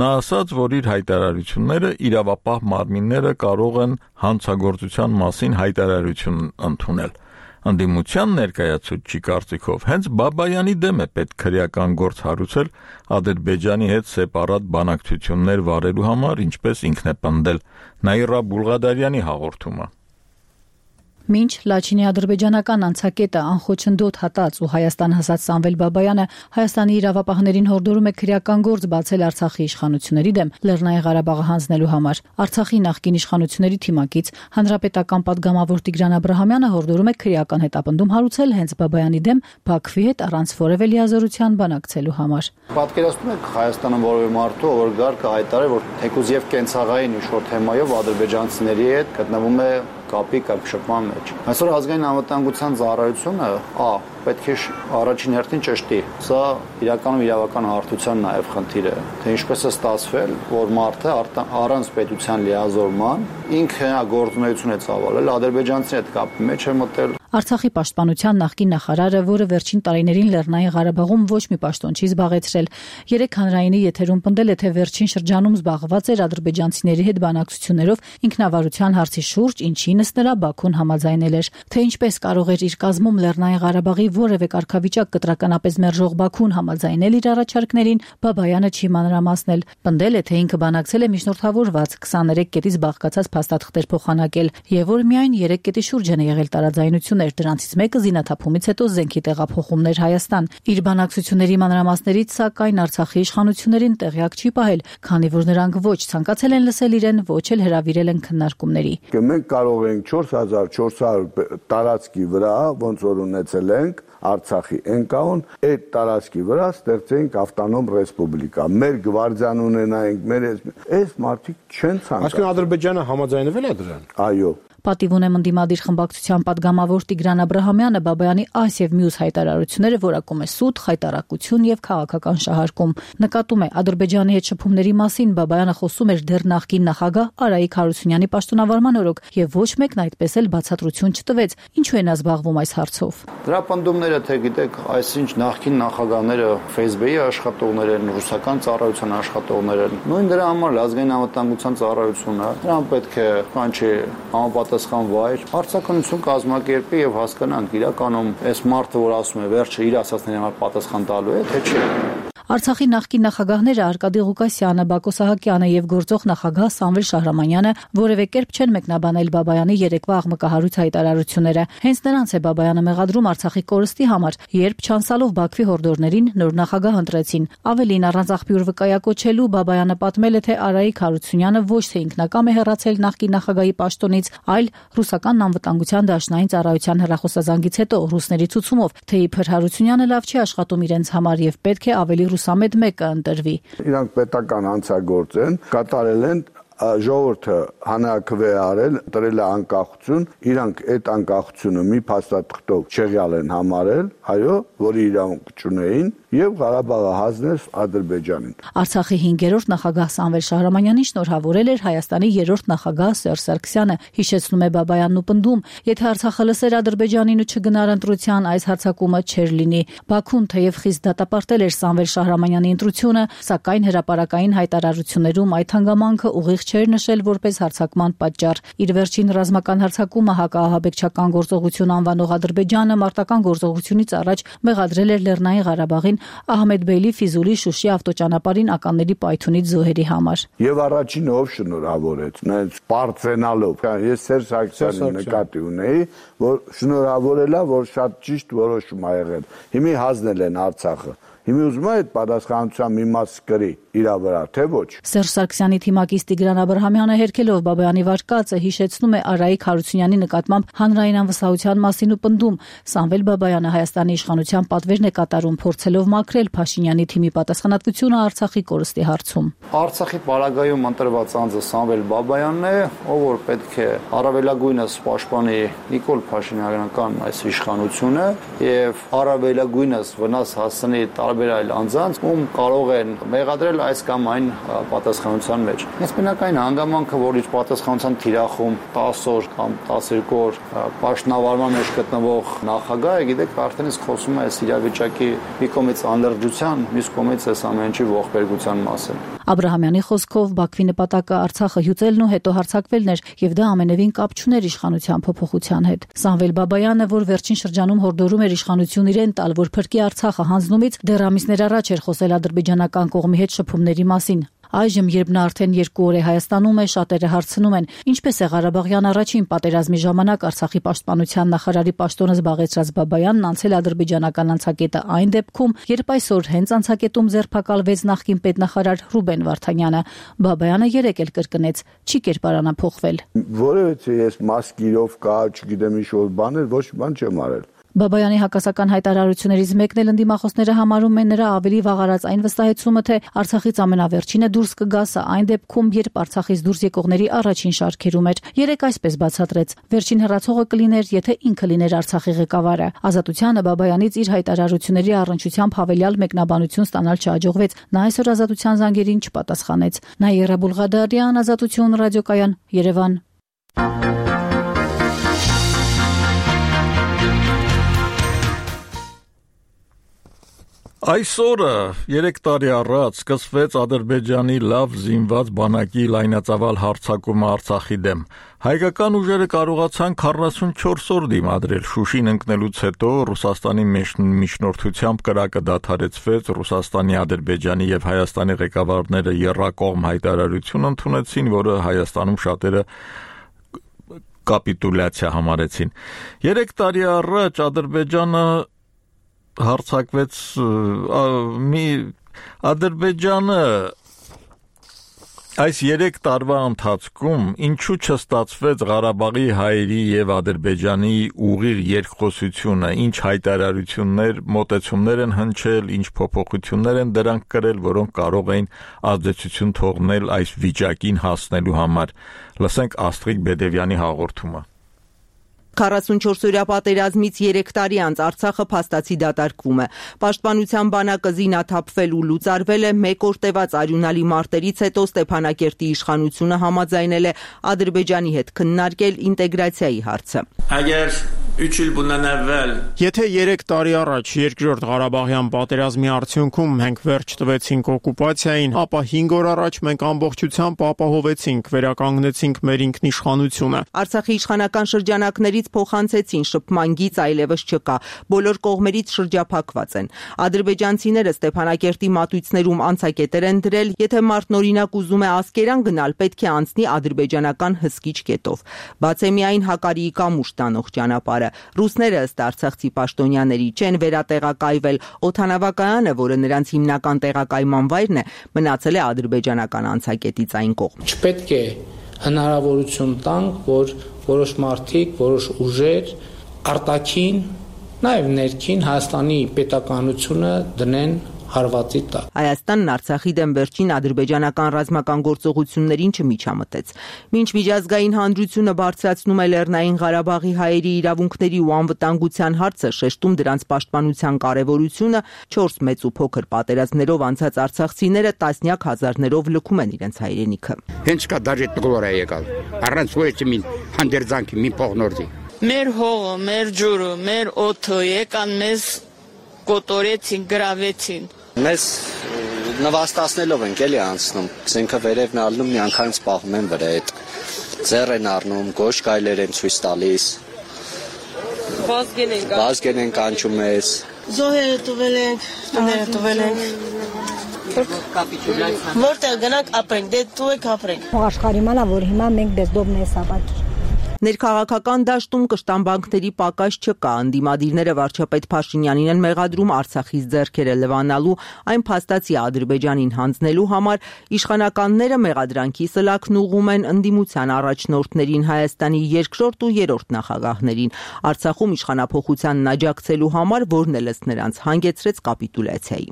Նա ասաց, որ իր հայտարարությունները իրավապահ մարմինները կարող են հանցագործության մասին հայտարարություն ընդունել։ Անդիմության ներկայացուցչի կարծիքով հենց Բաբայանի դեմ է պետք քրեական գործ հարուցել Ադրբեջանի հետ սեպարատ բանակցություններ վարելու համար, ինչպես ինքն է պնդել Նաիրա Բուլղադարյանի հաղորդումը։ Մինչ Լաչինի ադրբեջանական անցակետը անխոչնդոտ հատած ու Հայաստան հասած Սամվել Բաբայանը Հայաստանի իրավապահներին հորդորում է քրեական գործ բացել Արցախի իշխանությունների դեմ Լեռնային Ղարաբաղը հանձնելու համար։ Արցախի նախկին իշխանությունների թիմակից հանրապետական падգամավոր Տիգրան Աբրահամյանը հորդորում է քրեական հետապնդում հարուցել հենց Բաբայանի դեմ Բաքվի հետ առանց որևէ լիազորության բանակցելու համար։ Պատկերացնում եք Հայաստանում որևէ մարդու, որ գար կհայտարարի, որ թեկուզ եւ կենցաղային ինչ-որ թեմայով ադրբեջանցիների հետ գտնվում է կապի կապշկման մեջ։ Այսօր ազգային անվտանգության ծառայությունը պետք է առաջին հերթին ճշտի։ Սա իրականում իրավական հարթության նաև խնդիր է, թե ինչպես է ստացվել, որ մարդը առանց պետության լիազորման ինքը գործունեություն է ծավալել, ադրբեջանցիների հետ կապի մեջ է մտել։ Արցախի պաշտպանության նախկին նախարարը, որը վերջին տարիներին Լեռնային Ղարաբաղում ոչ մի պաշտոն չի զբաղեցրել, 3 հանրայինի եթերում պնդել է, թե վերջին շրջանում զբաղված էր ադրբեջանցիների հետ բանակցություններով ինքնավարության հարցի շուրջ, ինչինս նրա Բաքուն համաձայնել էր, թե ինչպես կարող էր իր կազմում Լեռնային Ղարաբաղի որևէ կարգավիճակ կտրականապես մերժող Բաքուն համաձայնել իր առաջարկներին, Բաբայանը չի մանրամասնել։ Պնդել է, թե ինքը բանակցել է միջնորդավորված 23 կետից բաղկացած փաստաթղթեր փոխանակել, եւ որ միայն 3 կետի շուրջ են եղել տարաձայնություններ, դրանցից մեկը զինաթափումից հետո զենքի տեղափոխումներ Հայաստան։ Իր բանակցությունների մանրամասներից, սակայն Արցախի իշխանություններին տեղյակ չի պահել, քանի որ նրանք ոչ ցանկացել են լսել իրեն, ոչ էլ հրավիրել են քննարկումների։ Մենք կարող ենք 4400 տարածքի վրա, ոնց որ ունեցել ենք Արցախի ընկաուն, այդ տարածքի վրա ստեղծենք ավտոնոմ ռեսպուբլիկա։ Մեր գվարդիան ունենայինք, այս մարդիկ չեն ցանկանում։ Այսինքն Ադրբեջանը համաձայնվել է դրան։ Այո։ Պատիվ ունեմ ընդդիմադիր խմբակցության падգամավոր Տիգրան Աբրահամյանը Բաբայանի այս եւ մյուս հայտարարությունները որակում է սուտ, խայտարակություն եւ քաղաքական շահարկում։ Նկատում է Ադրբեջանի հետ շփումների մասին Բաբայանը խոսում էր դեռ նախկին նախագահ Արայիկ Հարությունյանի պաշտոնավարման օրոք եւ ոչ մեկն այդպես էլ բացատրություն չտվեց, ինչու են զբաղվում այս հարցով։ Դրա պնդումները, թե գիտեք, այսինչ նախկին նախագահները Facebook-ի աշխատողներ են, ռուսական ծառայության աշխատողներ են։ Նույն դրա համար ազգային անվտանգության ծառայությունը նրան պետք է կանչի համապատասխան վայր, հարցականություն կազմակերպի եւ հասկանանք իրականում այս մարդը, որ ասում է վերջը իր ասածների համար պատասխան տալու է, թե չէ։ Արցախի նախկին նախագահները Արկադի Ղուկասյանը, Բակո Սահակյանը եւ գործող նախագահ Սամվել Շահրամանյանը որևէ կերպ չեն մեկնաբանել Բաբայանի երեկվա աղմկահարույց հայտարարությունները։ Հենց նրանց է Բաբայանը մեղադրում Արցախի կորստի համար, երբ չանցալով Բաքվի հորդորներին նոր նախագահ ընտրեցին։ Ավելին, առանց աղբյուր վկայակոչելու Բաբայանը պատմել է, թե Արայիկ Հարությունյանը ոչ թե ինքնակամ է հեռացել նախկին նախագահի պաշտոնից, այլ ռուսական անվտանգության դաշնային ծառայության հեռախոսազանգից հետո ռուսների ցուցումով, թե իբր Հարությունյանը լավ չի աշխատում իրենց համար եւ պետք է ավելի ռուսամետ մեկը ընտրվի։ Իրանք պետական հանցագործ են, կատարել են ժողովուրդը հանրաքվե արել, տրել է անկախություն, իրանք այդ անկախությունը մի փաստաթղթով չեղյալ են համարել, այո, որի իրավունք չունեին եւ Ղարաբաղը հանձնել Ադրբեջանին։ Արցախի 5-րդ նախագահ Սամվել Շահրամանյանին շնորհավորել էր Հայաստանի 3-րդ նախագահ Սերժ Սարգսյանը, հիշեցնում է Բաբայանն ու պնդում, եթե Արցախը լսեր Ադրբեջանին ու չգնար ընտրության, այս հարձակումը չէր լինի։ Բաքուն թեև խիստ դատապարտել էր Սամվել Շահրամանյանի ընտրությունը, սակայն հրապարակային հայտարարություններում այդ հանգամանքը ուղիղ չէր նշել որպես հարձակման պատճառ։ Իր վերջին ռազմական հարձակումը հակաահաբեկչական գործողություն անվանող Ադրբեջանը մարտական գործողությունից առաջ մեղադրել էր Լեռնային Ղարաբաղին Ահմեդբեյլի Ֆիզուլի Շուշի ավտոճանապարհին ականների պայթյունից զոհերի համար։ Եվ առաջինը ով շնորհավորեց, նայած բարձենալով։ Ես Սերժ Սարգսյանին նկատի ունեի, որ շնորհավորելա, որ շատ ճիշտ որոշում ա եղել։ Հիմի հանձնել են Արցախը։ Հիմա ուզում է այդ պատասխանատվության մի մաս կրի իր վրա, թե ոչ։ Սերժ Սարգսյանի թիմակից Տիգրան Աբրահամյանը հերքելով Բաբայանի վարկածը հիշեցնում է Արայիկ Հարությունյանի նկատմամբ հանրային անվստահության մասին ու պնդում. Սամվել Բաբայանը Հայաստանի իշխանության պատվերն է կատարում, փորձելով մաքրել Փաշինյանի թիմի պատասխանատվությունը Արցախի կորստի հարցում։ Արցախի պարագայում ընտրված անձը Սամվել Բաբայանն է, ով որ պետք է առավելագույնս պաշտպանի Նիկոլ Փաշինյանական այս իշխանությունը եւ առավելագույնս վնաս հասցնի տարբեր այլ անձանց, ում կարող են մեղադրել այս կամ այն պատասխանության մեջ։ Հենց բնակային հանգամանքը, որ իր պատասխանության թիրախում 10 օր կամ 12 օր պաշտոնավարման մեջ գտնվող նախագահը, գիտեք, արդեն իսկ խոսում է այս իրավիճակի մի կողմից անլրջության, մյուս կողմից այս ամեն ինչի ողբերգության մասին։ Աբրահամյանի խոսքով Բաքվի նպատակը Արցախը հյուծելն ու հետո հարձակվելն էր եւ դա ամենևին կապ չուներ իշխանության փոփոխության հետ։ Սամվել Բաբայանը, որ վերջին շրջանում հորդորում էր իշխանություն իրեն տալ, որ փրկի Արցախը հանձնումից, դեռ ամիսներ առաջ էր խոսել ադրբեջանական կողմի հետ շփումների մասին։ Այժմ, երբ նա արդեն 2 օր է Հայաստանում է, շատերը հարցնում են, ինչպես է Ղարաբաղյան առաջին պատերազմի ժամանակ Արցախի պաշտպանության նախարարի պաշտոնը զբաղեցրած Բաբայանն անցել ադրբեջանական անցակետը այն դեպքում, երբ այսօր հենց անցակետում ձերբակալվեց նախկին պետնախարար Ռուբեն Վարդանյանը։ Բաբայանը 3 էլ կրկնեց, չի կերպարանափոխվել։ Որովհետեւ ես մասկիրով կա, չգիտեմ ինչ որ բաներ, ոչ բան չեմ արել։ Բաբայանի հակասական հայտարարություններից մեկն էլ ընդդիմախոսները համարում են նրա ավելի վաղարած այն վստահեցումը, թե Արցախից ամենավերջինը դուրս կգա սա այն դեպքում, երբ Արցախից դուրս եկողների առաջին շարքերում էր։ Երեք այսպես բացատրեց. վերջին հեռացողը կլիներ, եթե ինքը լիներ Արցախի ղեկավարը։ Ազատությանը Բաբայանից իր հայտարարությունների առնչությամբ հավելյալ մեկնաբանություն ստանալ չհաջողվեց։ Նա այսօր Ազատության զանգերին չպատասխանեց։ Նաիրա Բուլղադարյան, Ազատություն ռադիոկայան, Երևան։ Այսօրը 3 տարի առաջ սկսվեց Ադրբեջանի լավ զինված բանակի լայնածավալ հարձակումը Արցախի դեմ։ Հայկական ուժերը կարողացան 44 օր դիմադրել։ Շուշին ընկնելուց հետո Ռուսաստանի միջնորդությամբ կրակը դադարեցվեց, Ռուսաստանի, Ադրբեջանի եւ Հայաստանի ղեկավարները եռակողմ հայտարարություն ընդունեցին, որը Հայաստանում շատերը կապիտուլյացիա համարեցին։ 3 տարի առաջ Ադրբեջանը հարձակվեց Ադրբեջանը այս 3 տարվա ընթացքում ինչու չստացվեց Ղարաբաղի հայերի եւ Ադրբեջանի ուղիղ երկխոսությունը, ինչ հայտարարություններ, մոտեցումներ են հնչել, ինչ փոփոխություններ են դրանք կրել, որոնք կարող էին ազդեցություն թողնել այս վիճակին հասնելու համար։ Լսենք Աստրիկ Բեդևյանի հաղորդումը։ 44-օրյա պատերազմից 3 տարի անց Արցախը փաստացի դատարկվում է։ Պաշտպանության բանակը զինաթափվել ու լուծարվել է, 1 օր տևած արյունալի մարտերից հետո Ստեփանակերտի իշխանությունը համաձայնել է Ադրբեջանի հետ քննարկել ինտեգրացիայի հարցը։ Agar Եթե 3 տարի առաջ երկրորդ Ղարաբաղյան պատերազմի արդյունքում մենք վերջ տվեցինք օկուպացիային, ապա 5 օր առաջ մենք ամբողջությամբ ապահովեցինք, վերականգնեցինք մեր ինքնիշխանությունը։ Արցախի իշխանական շրջանակներից փոխանցեցին շփման գիծ այլևս չկա, բոլոր կողմերից շրջափակված են։ Ադրբեջանցիները Ստեփանակերտի մատույցներում անցակետեր են դրել, եթե մարդն օրինակ ուզում է Ասկերան գնալ, պետք է անցնի ադրբեջանական հսկիչ կետով։ Բաց է միայն Հակարիի կամուշ տանող ճանապարհը։ Ռուսները ըստ արցախցի պաշտոնյաների չեն վերատեղակայվել, օդանավակայանը, որը նրանց հիմնական տեղակայման վայրն է, մնացել է ադրբեջանական անցակետից այն կողմ։ Չպետք է հնարավորություն տանք, որ որոշ մարդիկ, որոշ ուժեր արտաքին, նաև ներքին Հայաստանի պետականությունը դնեն հարվածի տակ։ Հայաստանն Արցախի դեմ վերջին ադրբեջանական ռազմական գործողություններին չմիջամտեց։ Մինչ միջազգային հանրությունը բարձրացնում է Լեռնային Ղարաբաղի հայերի իրավունքների ու անվտանգության հարցը, շեշտում դրանց պաշտպանության կարևորությունը, 4 մեծ ու փոքր պատերազմներով անցած արցախցիները տասնյակ հազարներով լքում են իրենց հայրենիքը։ Հենց կա դաժե տգլոր է եկալ։ Առանց ոչինչ մի հանդերձանքի, մի փողնորդի։ Մեր հողը, մեր ջուրը, մեր օդը եկան մեզ կոտորեցին, գրավեցին։ Մեզ նվաստացնելով ենք էլի անցնում, զենքը վերևն ալնում, միանգամից պահում են վրա հետ, ձեռ են առնում, գոշ գայլեր են ցույց տալիս, վազգեն են կանչում մեզ, զոհերը տվել ենք, տները տվել ենք, որտեղ գնանք ապրենք, դե տուեք ապրենք։ Աշխարհի մանա, որ հիմա մենք բեզդոբն է սավաքի։ Ներքաղաքական դաշտում կշտամբանքների պակաս չկա, ընդդիմադիրները վարչապետ Փաշինյանին են մեղադրում Արցախից ձեռքերը լվանալու, այն փաստացի Ադրբեջանին հանձնելու համար, իշխանականները մեղադրանքի սլաքն ուղղում են ընդդիմության առաջնորդներին, Հայաստանի երկրորդ ու երրորդ նախագահներին, Արցախում իշխանափոխությանն աջակցելու համար, որն էլ ըստ նրանց հանգեցրեց կապիտուլյացիայի։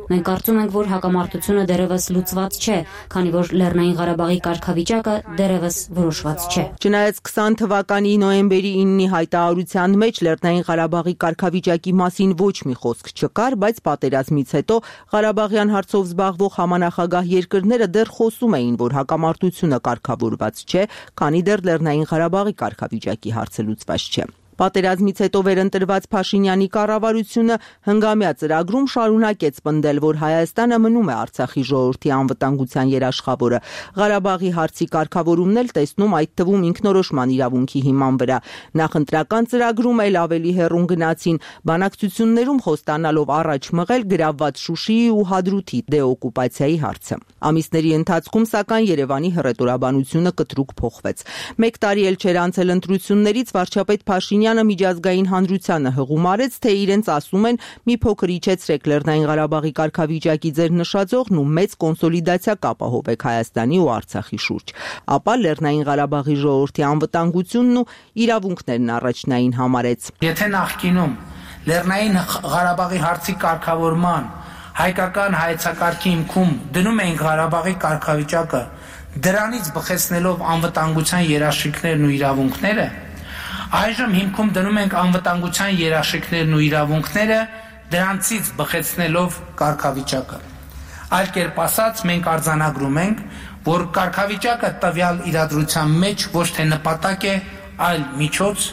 Մենք կարծում ենք, որ հակամարտությունը դեռևս լուծված չէ, քանի որ Լեռնային Ղարաբաղի կարգավիճակը դեռևս որոշված չէ։ Չնայած 20 թվականի նոյեմբերի 9-ի հայտարարության մեջ Լեռնային Ղարաբաղի կարգավիճակի մասին ոչ մի խոսք չկար, բայց պատերազմից հետո Ղարաբաղյան հարցով զբաղվող համանախագահ երկրները դեռ խոսում էին, որ հակամարտությունը կարգավորված չէ, քանի դեռ Լեռնային Ղարաբաղի կարգավիճակի հարցը լուծված չէ։ Պատերազմից հետո վերընտրված Փաշինյանի կառավարությունը հնգամյա ծրագրում շարունակեց պնդել, որ Հայաստանը մնում է Արցախի ժողովրդի անվտանգության երաշխավորը։ Ղարաբաղի հարցի կարգավորումն էլ տեսնում այդ թվում ինքնորոշման իրավունքի հիման վրա։ Նախընտրական ծրագրում էլ ավելի հեռուն գնացին, բանակցություններում խոստանալով առաջ մղել գրավված Շուշիի ու Հադրութի դեօկուպացիայի հարցը։ Ամիսների ընթացքում սակայն Երևանի հռետորաբանությունը կտրուկ փոխվեց։ Մեկ տարի էլ չէր անցել ընտրություններից, վարչապետ Փաշինյանը միջազգային հանրությանը հղում արեց, թե իրենց ասում են մի փոքր իջեցրեք Լեռնային Ղարաբաղի կարգավիճակի ձեր նշաձողն ու մեծ կոնսոլիդացիա կապահովեք Հայաստանի ու Արցախի շուրջ։ Ապա Լեռնային Ղարաբաղի ժողովրդի անվտանգությունն ու իրավունքներն առաջնային համարեց։ Եթե նախկինում Լեռնային Ղարաբաղի հարցի կարգավորման հայկական հայեցակարգի հիմքում դնում էին Ղարաբաղի կարգավիճակը, դրանից բխեցնելով անվտանգության երաշխիքներն ու իրավունքները, այժմ հիմքում դնում ենք անվտանգության երաշխիքներն ու իրավունքները, դրանցից բխեցնելով կարգավիճակը։ Այլ կերպ ասած, մենք արձանագրում ենք, որ կարգավիճակը տվյալ իրադրության մեջ ոչ թե նպատակ է, այլ միջոց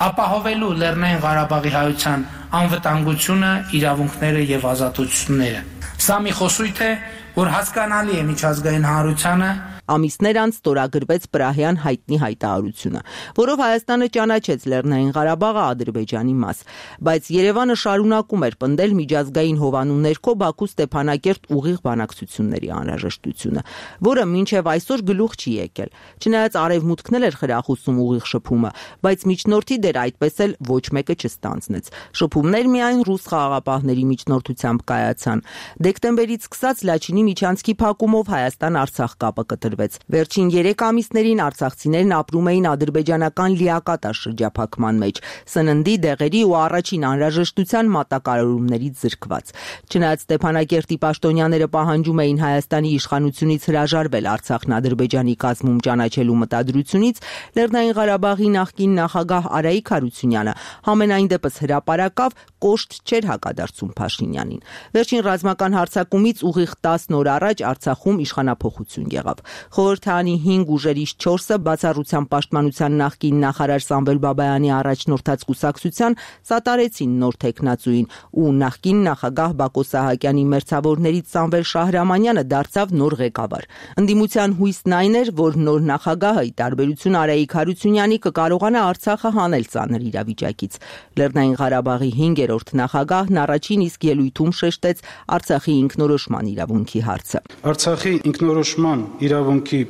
ապահովելու Լեռնային Ղարաբաղի հայության անվտանգությունը, իրավունքները եւ ազատությունները։ Սա մի խոսույթ է, որ հասկանալի է միջազգային հանրությանը։ Ամիսներ անց ստորագրվեց Պրահյան հայտնի հայտարարությունը, որով Հայաստանը ճանաչեց Լեռնային Ղարաբաղը Ադրբեջանի մաս, բայց Երևանը շարունակում էր պնդել միջազգային հովանու ներքո Բաքու Ստեփանակերտ ուղիղ բանակցությունների անհրաժեշտությունը, որը մինչև այսօր գլուխ չի եկել։ Չնայած Արևմուտքն էլ էր խրախուսում ուղիղ շփումը, բայց միջնորդի դեր այդպես էլ ոչ մեկը չստանձնեց։ Շփումներ միայն ռուս խաղաղապահների միջնորդությամբ կայացան։ Դեկտեմբերից սկսած Լաչինի միջանցքի փակումով Հայաստան-Արցախ կապը կտրվեց։ Վերջին 3 ամիսներին արցախցիներն ապրում էին ադրբեջանական լիակատար շրջափակման մեջ, սննդի, դեղերի ու առաջին անհրաժեշտության մատակարարումներից զրկված։ Չնայած Ստեփանակերտի պաշտոնյաները պահանջում էին Հայաստանի իշխանությունից հրաժարվել Արցախն Ադրբեջանի կազմում ճանաչելու մտադրությունից, Լեռնային Ղարաբաղի նախկին նախագահ Արայիկ Հարությունյանը համենայն դեպս հրապարակավ կոշտ չէր հակադարձում Փաշինյանին։ Վերջին ռազմական հարձակումից ուղիղ 10 օր առաջ Արցախում իշխանափոխություն եղավ։ Խորհրդարանի 5 ուժերից 4-ը բացառության պաշտպանության նախկին նախարար Սամվել Բաբայանի առաջնորդած կուսակցության սատարեցին նոր թեկնածուին ու նախկին նախագահ Բակո Սահակյանի մերձավորներից Սամվել Շահրամանյանը դարձավ նոր ղեկավար։ Ընդդիմության հույսն այն էր, որ նոր նախագահը, ի տարբերություն Արայիկ Հարությունյանի, կկարողանա Արցախը հանել ծանր իրավիճակից։ Լեռնային Ղարաբաղի 5-րդ նախագահն առաջին իսկ ելույթում շեշտեց Արցախի ինքնորոշման իրավունքի հարցը։ Արցախի ինքնորոշման իրավունքի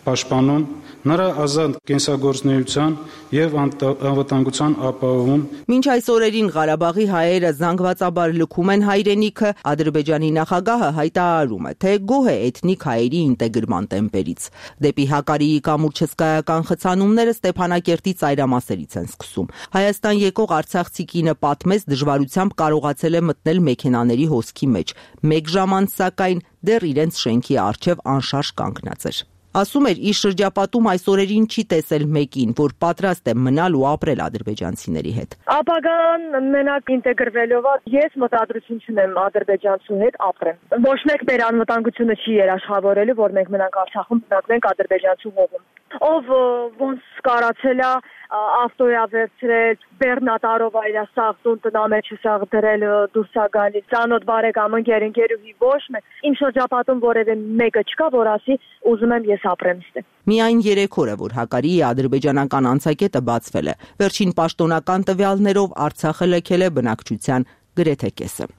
պաշտպանում, նրա ազատ կենսագործունեության եւ անվտանգության ապահովում։ Մինչ այս օրերին Ղարաբաղի հայերը զանգվածաբար լքում են հայրենիքը, Ադրբեջանի նախագահը հայտարարում է, թե գոհ է էթնիկ հայերի ինտեգրման տեմպերից։ Դեպի Հակարիի կամուրջ հսկայական խցանումները Ստեփանակերտի ծայրամասերից են սկսում։ Հայաստան եկող արցախցի կինը պատմեց, դժվարությամբ կարողացել է մտնել մեքենաների հոսքի մեջ։ 1 ժամ անց, սակայն, դեռ իրենց շենքի առջև անշարժ կանգնած էր։ Ասում էր, իր շրջապատում այս օրերին չի տեսել մեկին, որ պատրաստ է մնալ ու ապրել ադրբեջանցիների հետ։ Ապագան մենակ ինտեգրվելով ես մտադրություն չունեմ ադրբեջանցու հետ ապրեմ։ Ոչ մեկ մեր անվտանգությունը չի երաշխավորելու, որ մենք մնանք Արցախում, բնակվենք ադրբեջանցու հողում։ Ով ոնց կարացել է ավտոյա վերցրել, բեռնատարով այրա սաղտուն տնամեջը սաղ դրել դուրս է գալիս, ծանոթ բարեկամ ընկերուհի ոչ մեկ, իմ շրջապատում որևէ մեկը չկա, որ ասի ուզում եմ ես ապրեմ ստե։ Միայն 3 օր է, որ Հակարիի ադրբեջանական անցակետը բացվել է։ Վերջին պաշտոնական տվյալներով Արցախը լքել է բնակչության գրեթե կեսը։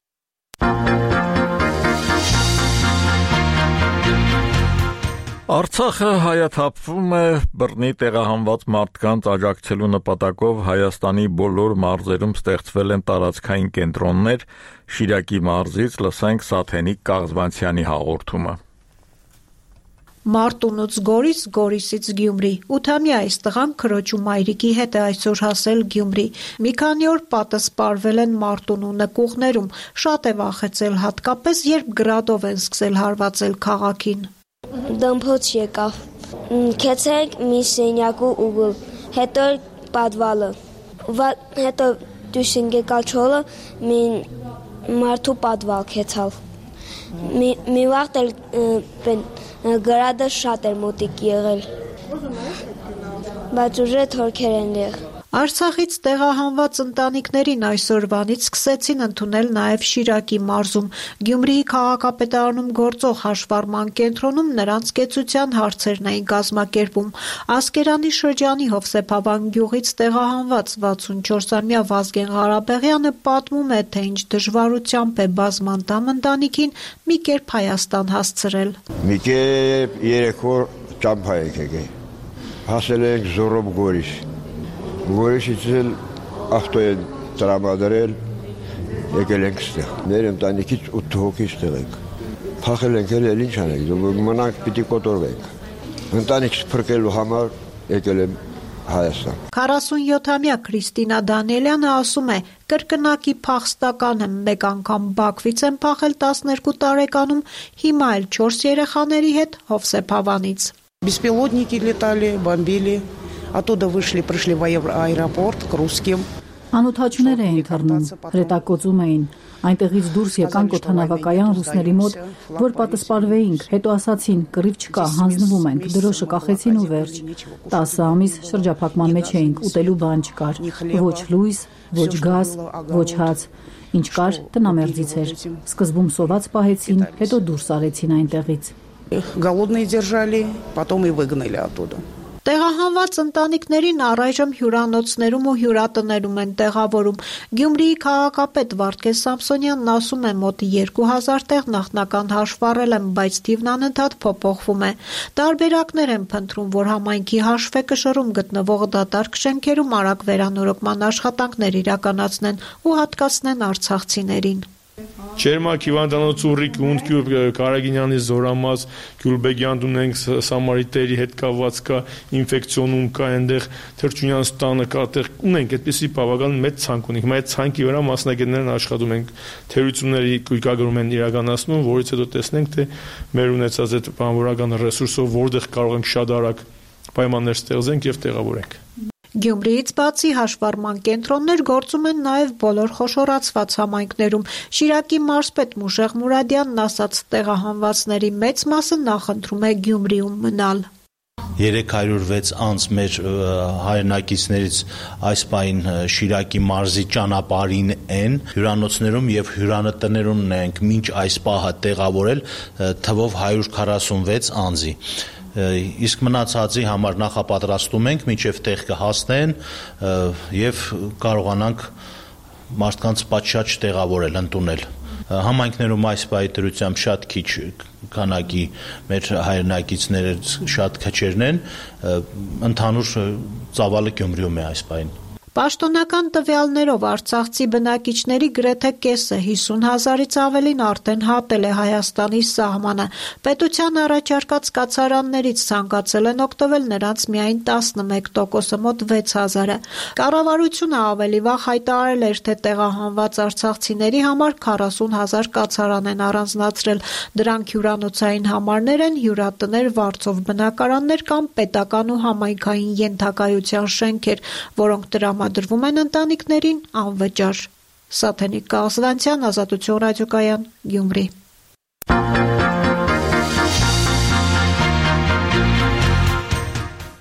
Արցախը հայաթափվում է բռնի տեղահանված մարդկանց աջակցելու նպատակով Հայաստանի բոլոր մարզերում ստեղծվել են տարածքային կենտրոններ, Շիրակի մարզից լսենք Սաթենիկ Կաղզվանցյանի հաղորդումը։ Մարտունուց Գորիս, Գորիսից Գյումրի։ 8-ամյա այս տղան քրոջ ու մայրիկի հետ է այսօր հասել Գյումրի։ Մի քանի օր պատսպարվել են Մարտունու նկուղներում, շատ է վախեցել, հատկապես երբ գրադով են սկսել հարվածել քաղաքին։ Դմփոց եկավ, քեցեք մի սենյակու ուղղ, հետո պատվալը, հետո դուսին եկալ չոլը, մի մարդու պատվալ քեցալ, մի վաղտ էլ գրադը շատ էր մոտիկ եղել, բայց ուժը թորքեր են դեղ։ Արցախից տեղահանված ընտանիքներին այսօրվանից սկսեցին ընդունել նաև Շիրակի մարզում։ Գյումրիի քաղաքապետարանում գործող հաշվառման կենտրոնում նրանց կեցության հարցերն էին կազմակերպում։ Ասկերանի շրջանի Հովսեփավան գյուղից տեղահանված 64-ամյա Վազգեն Ղարաբաղյանը պատմում է, թե ինչ դժվարությամբ է բազմանդամ ընտանիքին մի կերպ Հայաստան հասցրել։ Մի կերպ 3 օր ճամփա եկել։ Հասել ենք Զորոբ Գորիս։ Գորիսից էլ ավտո են տրամադրել, եկել ենք ստեղ։ Մեր ընտանիքից 8 հոգի ստեղ ենք։ Փախել ենք էլ ինչ անենք, մնանք պիտի կոտորվենք։ Ընտանիքս փրկելու համար եկել եմ Հայաստան։ 47-ամյա Քրիստինա Դանիելյանը ասում է, կրկնակի փախստական եմ, մեկ անգամ Բաքվից եմ փախել 12 տարեկանում, հիմա էլ 4 երեխաների հետ Հովսեփավանից։ Беспилотники летали, бомбили. Оттуда пришли в аэропорт к русским. Անօթաչուներ էին թռնում, հրետակոծում էին։ Այնտեղից դուրս եկանք օդանավակայան ռուսների մոտ, որ պատսպարվեինք, հետո ասացին, կռիվ չկա, հանձնվում ենք, դրոշը կախեցին ու վերջ։ 10 ամիս շրջափակման մեջ էինք, ուտելու բան չկար, ոչ լույս, ոչ գազ, ոչ հաց, ինչ կար, տնամերձից էր։ Սկզբում սոված պահեցին, հետո դուրս արեցին այնտեղից։ Голодные держали, потом и выгнали оттуда. Տեղահանված ընտանիքներին առայժմ հյուրանոցներում ու հյուրատներում են տեղավորում։ Գյումրիի քաղաքապետ Վարդգես Սամսոնյանն ասում է, մոտ 2000 տեղ նախնական հաշվառել են, բայց թիվն անընդհատ փոփոխվում է։ Տարբերակներ են փնտրում, որ համայնքի հաշվեկշռում գտնվող դատարկ շենքերում արագ վերանորոգման աշխատանքներ իրականացնեն ու հատկացնեն արցախցիներին։ Չերմակ հիվանդանոց ուռիկ ունդ Կարագինյանի Զորամաս Գյուլբեգյան ունենք Սամարիտերի հետ կապված կա ինֆեկցիոնում կա այնտեղ Թրջունյան ստանը կա այդտեղ ունենք այդպիսի բավական մեծ ցանկ ունենք հիմա այդ ցանկի վրա մասնագետներն աշխատում են թերությունների կույկագրում են իրականացնում որից հետո տեսնենք թե մեր ունեցած այդ բանվորական ռեսուրսով որտեղ կարող ենք շատ արագ պայմաններ ստեղծենք եւ տեղավորենք։ Գյումրիից բացի հաշվառման կենտրոններ գործում են նաև բոլոր խոշորացված համայնքներում։ Շիրակի մարզպետ Մուշեղ Մուրադյանն ասաց, տեղահանվածների մեծ մասը նախընտրում է Գյումրիում մնալ։ 306 անց մեր հայրենակիցներից այս պահին Շիրակի մարզի ճանապարհին են, հյուրանոցներում եւ հյուրանտներում ենք մինչ այս պահը տեղավորել թվով 146 անձի։ Իսկ մնացածի համար նախապատրաստում ենք, մինչև տեղ կհասնեն եւ կարողանանք մարդկանց պատշաճ տեղավորել, ընդունել։ Համայնքներում այս պահի դրությամբ շատ քիչ քանակի մեր հայրենակիցները շատ քչերն են, ընդհանուր ծավալը Գյումրիում է այս պահին։ Պաշտոնական տվյալներով արցախցի բնակիչների գրեթե կեսը 50,000-ից ավելին արդեն հատել է Հայաստանի սահմանը։ Պետության առաջարկած կացարաններից ցանկացել են օգտվել նրանց միայն 11%-ը, մոտ 6,000-ը։ Կառավարությունը ավելի վաղ հայտարարել էր, թե տեղահանված արցախցիների համար 40,000 կացարան են առանձնացրել։ Դրանք հյուրանոցային համարներ են, հյուրատներ, վարձով բնակարաններ կամ պետական ու համայնքային ենթակայության շենքեր, որոնք տրամադրվում են ընտանիքներին անվճար։ Սաթենիկ Կաղզվանցյան, Ազատություն ռադիոկայան, Գյումրի։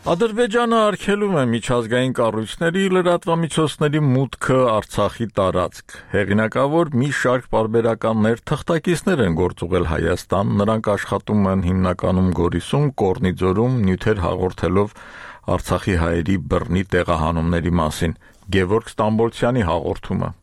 Ադրբեջանը արգելում է միջազգային կառույցների լրատվամիջոցների մուտքը Արցախի տարածք։ Հեղինակավոր մի շարք պարբերականներ թղթակիցներ են գործուղել Հայաստան, նրանք աշխատում են հիմնականում Գորիսում, Կորնիձորում, նյութեր հաղորդելով Արցախի հայերի բռնի տեղահանումների մասին։ Գևորգ Ստամբոլցյանի հաղորդումը։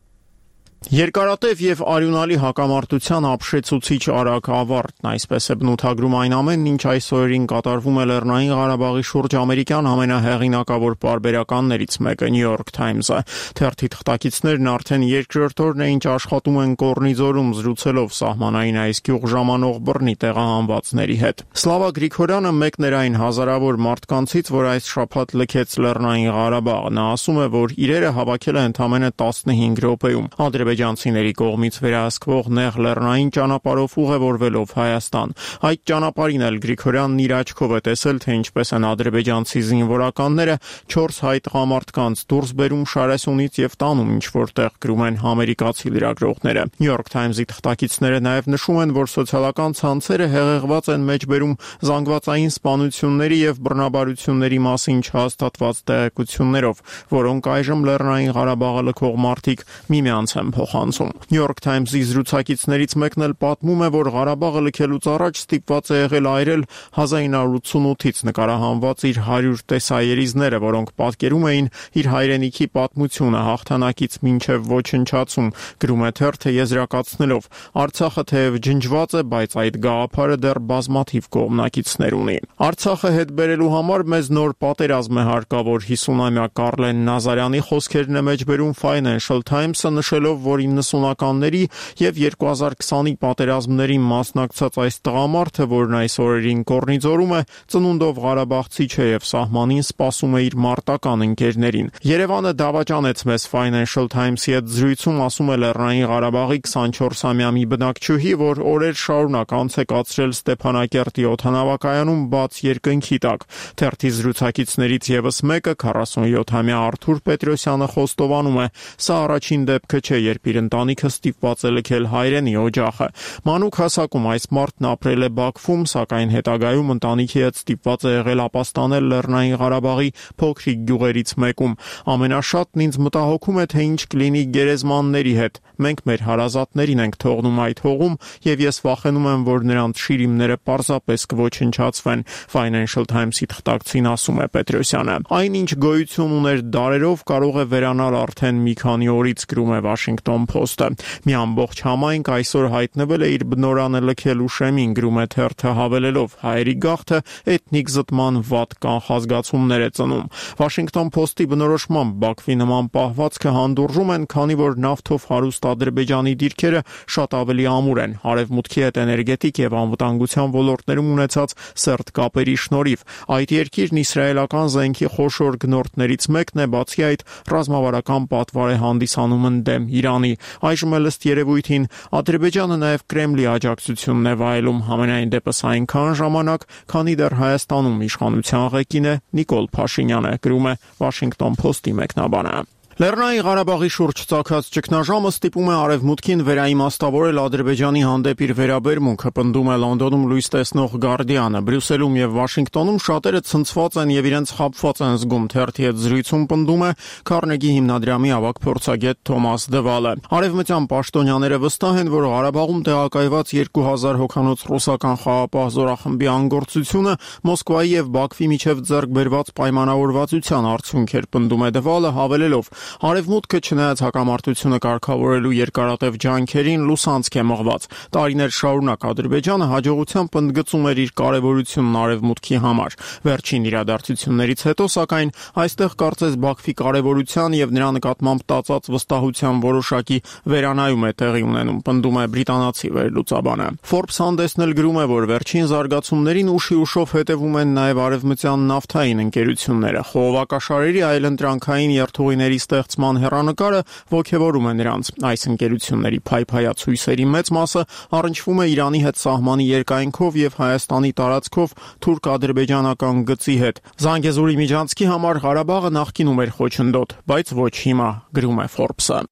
Երկարատև եւ արյունալի հակամարտության ապշեցուցիչ արագ ավարտն, այսպես է բնութագրում այն ամենն, ինչ այս օրերին կատարվում է Լեռնային Ղարաբաղի շուրջ ամերիկյան ամենահեղինակավոր պարբերականներից մեկը New York Times-ը։ Թերթի թղթակիցներն արդեն երկրորդ օրն է, ինչ աշխատում են Կորնիձորում, զրուցելով սահմանային այս գյուղ ժամանող բռնի տեղահանվածների հետ։ Սլավա Գրիգորյանը մեկն էր այն հազարավոր մարդկանցից, որ այս շաբաթ լքեց Լեռնային Ղարաբաղը։ Նա ասում է, որ իրերը հավաքել է ընդամենը 15 րոպեում։ Ադրբեջանցիների կողմից վերահսկվող նեղ լեռնային ճանապարհով ուղևորվելով Հայաստան։ Այդ ճանապարհին էլ Գրիգորյանն իր աչքով է տեսել, թե ինչպես են ադրբեջանցի զինվորականները 4 հայ տղամարդկանց դուրս բերում Շարասյունից եւ տանում ինչ-որտեղ, գրում են ամերիկացի լրագրողները։ New York Times-ի թղթակիցները նաեւ նշում են, որ սոցիալական ցանցերը հեղեղված են մեջբերում զանգվածային սպանությունների եւ բռնաբարությունների մասին չհաստատված տեղեկություններով, որոնք այժմ Լեռնային Ղարաբաղը լքող մարդիկ միմյանց են փոխանցում։ New York Times-ի զրուցակիցներից մեկն էլ պատմում է, որ Ղարաբաղը լքելուց առաջ ստիպված է եղել այրել 1988-ից նկարահանված իր 100 տեսաերիզները, որոնք պատկերում էին իր հայրենիքի պատմությունը հաղթանակից մինչև ոչնչացում, գրում է թերթը եզրակացնելով. Արցախը թեև ջնջված է, բայց այդ գաղափարը դեռ բազմաթիվ կողմնակիցներ ունի։ Արցախը հետ բերելու համար մեզ նոր պատերազմ է հարկավոր, 50-ամյա Կարլեն Նազարյանի խոսքերն է մեջբերում Financial Times-ը, նշելով, որ 90-ականների եւ 2020-ի պատերազմներին մասնակցած այս տղամարդը, որն այս օրերին Կորնիձորում է, ծնունդով ղարաբաղցի չէ եւ սահմանին սպասում է իր մարտական ընկերներին։ Երևանը դավաճանեց մեզ Financial Times-ի հետ զրույցում, ասում է Լեռնային Ղարաբաղի 24-ամյա մի բնակչուհի, որ օրեր շարունակ անց է կացրել Ստեփանակերտի օդանավակայանում բաց երկնքի տակ։ Թերթի զրուցակիցներից եւս մեկը 47-ամյա Արթուր Պետրոսյանը խոստովանում է. Սա առաջին դեպքը չէ, երբ իր ընտանիքը ստիպված է լքել հայրենի օջախը։ Մանուկ հասակում այս մարդն ապրել է Բաքվում, սակայն հետագայում ընտանիքի հետ ստիպված է եղել ապաստանել Լեռնային Ղարաբաղի փոքրիկ գյուղերից մեկում։ Ամենաշատն ինձ մտահոգում է, թե ինչ կլինի գերեզմանների հետ։ Մենք մեր հարազատներին ենք թողնում այդ հողում, եւ ես վախենում եմ, որ նրանց շիրիմները պարզապես կոչնչացվեն, Financial Times-ի թղթակցին ասում է Պետրոսյանը։ Այնինչ գոյություն ուներ դարերով, կարող է վերանալ արդեն մի քանի օրից, գրում է Washington Post-ը։ Մի ամբողջ համայնք այսօր հայտնվել է իր բնորանը լքելու շեմին, գրում է թերթը հավելելով. հայերի գաղթը էթնիկ զտման վատ կանխազգացումներ է ծնում։ Washington Post-ի բնորոշմամբ Բաքվի նման պահվածքը հանդուրժում են, քանի որ նավթով հարուստ Ադրբեջանի դիրքերը շատ ավելի ամուր են, արևմուտքի հետ էներգետիկ եւ անվտանգության ոլորտներում ունեցած սերտ կապերի շնորհիվ։ Այդ երկիրն իսրայելական զենքի խոշոր գնորդներից մեկն է, բացի այդ ռազմավարական պատվար է հանդիսանում ընդդեմ Իրանի։ Ադրբեջանի։ Այժմ էլ ըստ երևույթին Ադրբեջանը նաև Կրեմլի աջակցությունն է վայելում, համենայն դեպս այնքան ժամանակ, քանի դեռ Հայաստանում իշխանության ղեկին է Նիկոլ Փաշինյանը, գրում է Washington Post-ի մեկնաբանը։ Լեռնային Ղարաբաղի շուրջ ծագած ճգնաժամը ստիպում է Արևմուտքին վերաիմաստավորել Ադրբեջանի հանդեպ իր վերաբերմունքը, պնդում է Լոնդոնում լույս տեսնող Guardian-ը։ Բրյուսելում եւ Վաշինգտոնում շատերը ցնցված են եւ իրենց խաբված են զգում, թերթի հետ զրույցում պնդում է Քարնեգի հիմնադրամի ավագ փորձագետ Թոմաս Դվալը։ Արևմտյան պաշտոնյաները վստահ են, որ Ղարաբաղում տեղակայված 2000 հոգանոց ռուսական խաղապահ զորախմբի անգործությունը Մոսկվայի եւ Բաքվի միջև ձեռք բերված պայմանավորվածության արդյունք էր, պնդում է Դվալը, հավելելով. Արևմուտքը չնայած հակամարտությունը կարգավորելու երկարատև ջանքերին լուսանցք է մղված։ Տարիներ շարունակ Ադրբեջանը հաջողությամբ ընդգծում էր իր կարևորությունն Արևմուտքի համար։ Վերջին իրադարձություններից հետո, սակայն, այստեղ կարծես Բաքվի կարևորության եւ նրա նկատմամբ տածած վստահության որոշակի վերանայում է տեղի ունենում, պնդում է բրիտանացի վերլուծաբանը։ Forbes հանդեսն էլ գրում է, որ վերջին զարգացումներին ուշի-ուշով հետևում են նաեւ արևմտյան նավթային ընկերությունները։ Խողովակաշարերի այլընտրանքային երթուղիների ստեղծման հեռանկարը ոգևորում է նրանց։ Այս ընկերությունների փայփայած հույսերի մեծ մասը առնչվում է Իրանի հետ սահմանի երկայնքով եւ Հայաստանի տարածքով թուրք-ադրբեջանական գծի հետ։ Զանգեզուրի միջանցքի համար Ղարաբաղը նախկինում էր խոչընդոտ, բայց ոչ հիմա, գրում է Forbes-ը։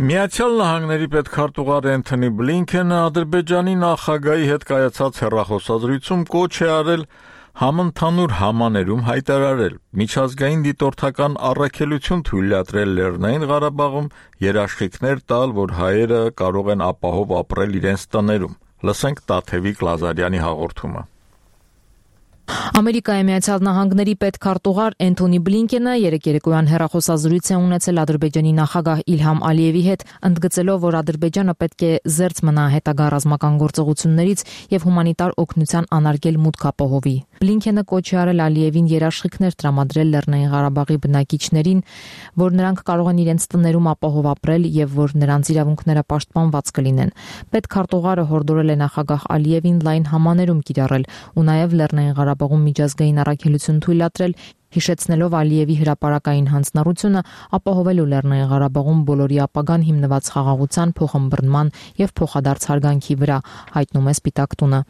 Միացյալ Նահանգների պետքարտուղար Էնթոնի Բլինքենը Ադրբեջանի նախագահի հետ կայացած հեռախոսազրույցում կոչ է արել համընդհանուր համաներում հայտարարել միջազգային դիտորդական առաքելություն թույլատրել Լեռնային Ղարաբաղում երաշխիքներ տալ, որ հայերը կարող են ապահով ապրել իրենց տներում։ Լսենք Տաթևիկ Լազարյանի հաղորդումը։ Ամերիկայի Միացյալ Նահանգների պետքարտուղար Էնթոնի Բլինքենը երեկոյան հեռախոսազրույց է ունեցել Ադրբեջանի նախագահ Իլհամ Ալիևի հետ, ընդգծելով, որ Ադրբեջանը պետք է զերծ մնա հետագա ռազմական գործողություններից եւ հումանիտար օգնության անարգել մուտք ապահովի։ Բլինքենը կոչ է արել Ալիևին երաշխիքներ տրամադրել Լեռնային Ղարաբաղի բնակիչներին, որ նրանք կարող են իրենց տներում ապահով ապրել եւ որ նրանց իրավունքները պաշտպանված կլինեն։ Պետքարտուղարը հորդորել է նախագահ Ալիևին լայն համաներում կիրառել ու նաեւ Լեռնային Ղարաբաղում միջազգային առաքելություն թույլատրել, հիշեցնելով Ալիևի հրապարակային հանձնառությունը ապահովելու Լեռնային Ղարաբաղում բոլորի ապագան հիմնված խաղաղության, փոխըմբռնման եւ փոխադարձ հարգանքի վրա, հայտնում է Սպիտակ տունը։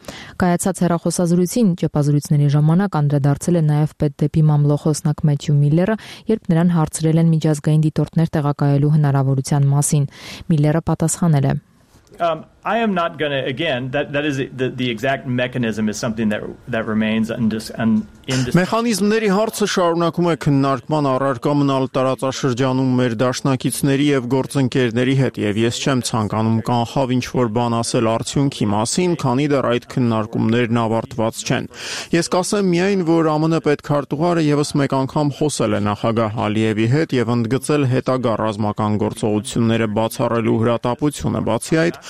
Կայացած հեռախոսազրույցին ճեպազրույցների ժամանակ անդրադարձել է նաեւ պետդեպի մամլոխոսնակ Մեթյու Միլլերը, երբ նրան հարցրել են միջազգային դիտորդներ տեղակայելու հնարավորության մասին։ Միլլերը պատասխանել է. I am not going to, again, that is the exact mechanism is something that remains Մեխանիզմների հարցը շարունակում է քննարկման առարկա մնալ տարածաշրջանում մեր դաշնակիցների եւ գործընկերների հետ եւ ես չեմ ցանկանում կանխավ ինչ-որ բան ասել արդյունքի մասին, քանի դեռ այդ քննարկումներն ավարտված չեն։ Ես կասեմ միայն, որ ԱՄՆ պետքարտուղարը եւս մեկ անգամ խոսել է նախագահ Ալիևի հետ եւ ընդգծել հետագա ռազմական գործողությունները բացառելու հրատապությունը, բացի այդ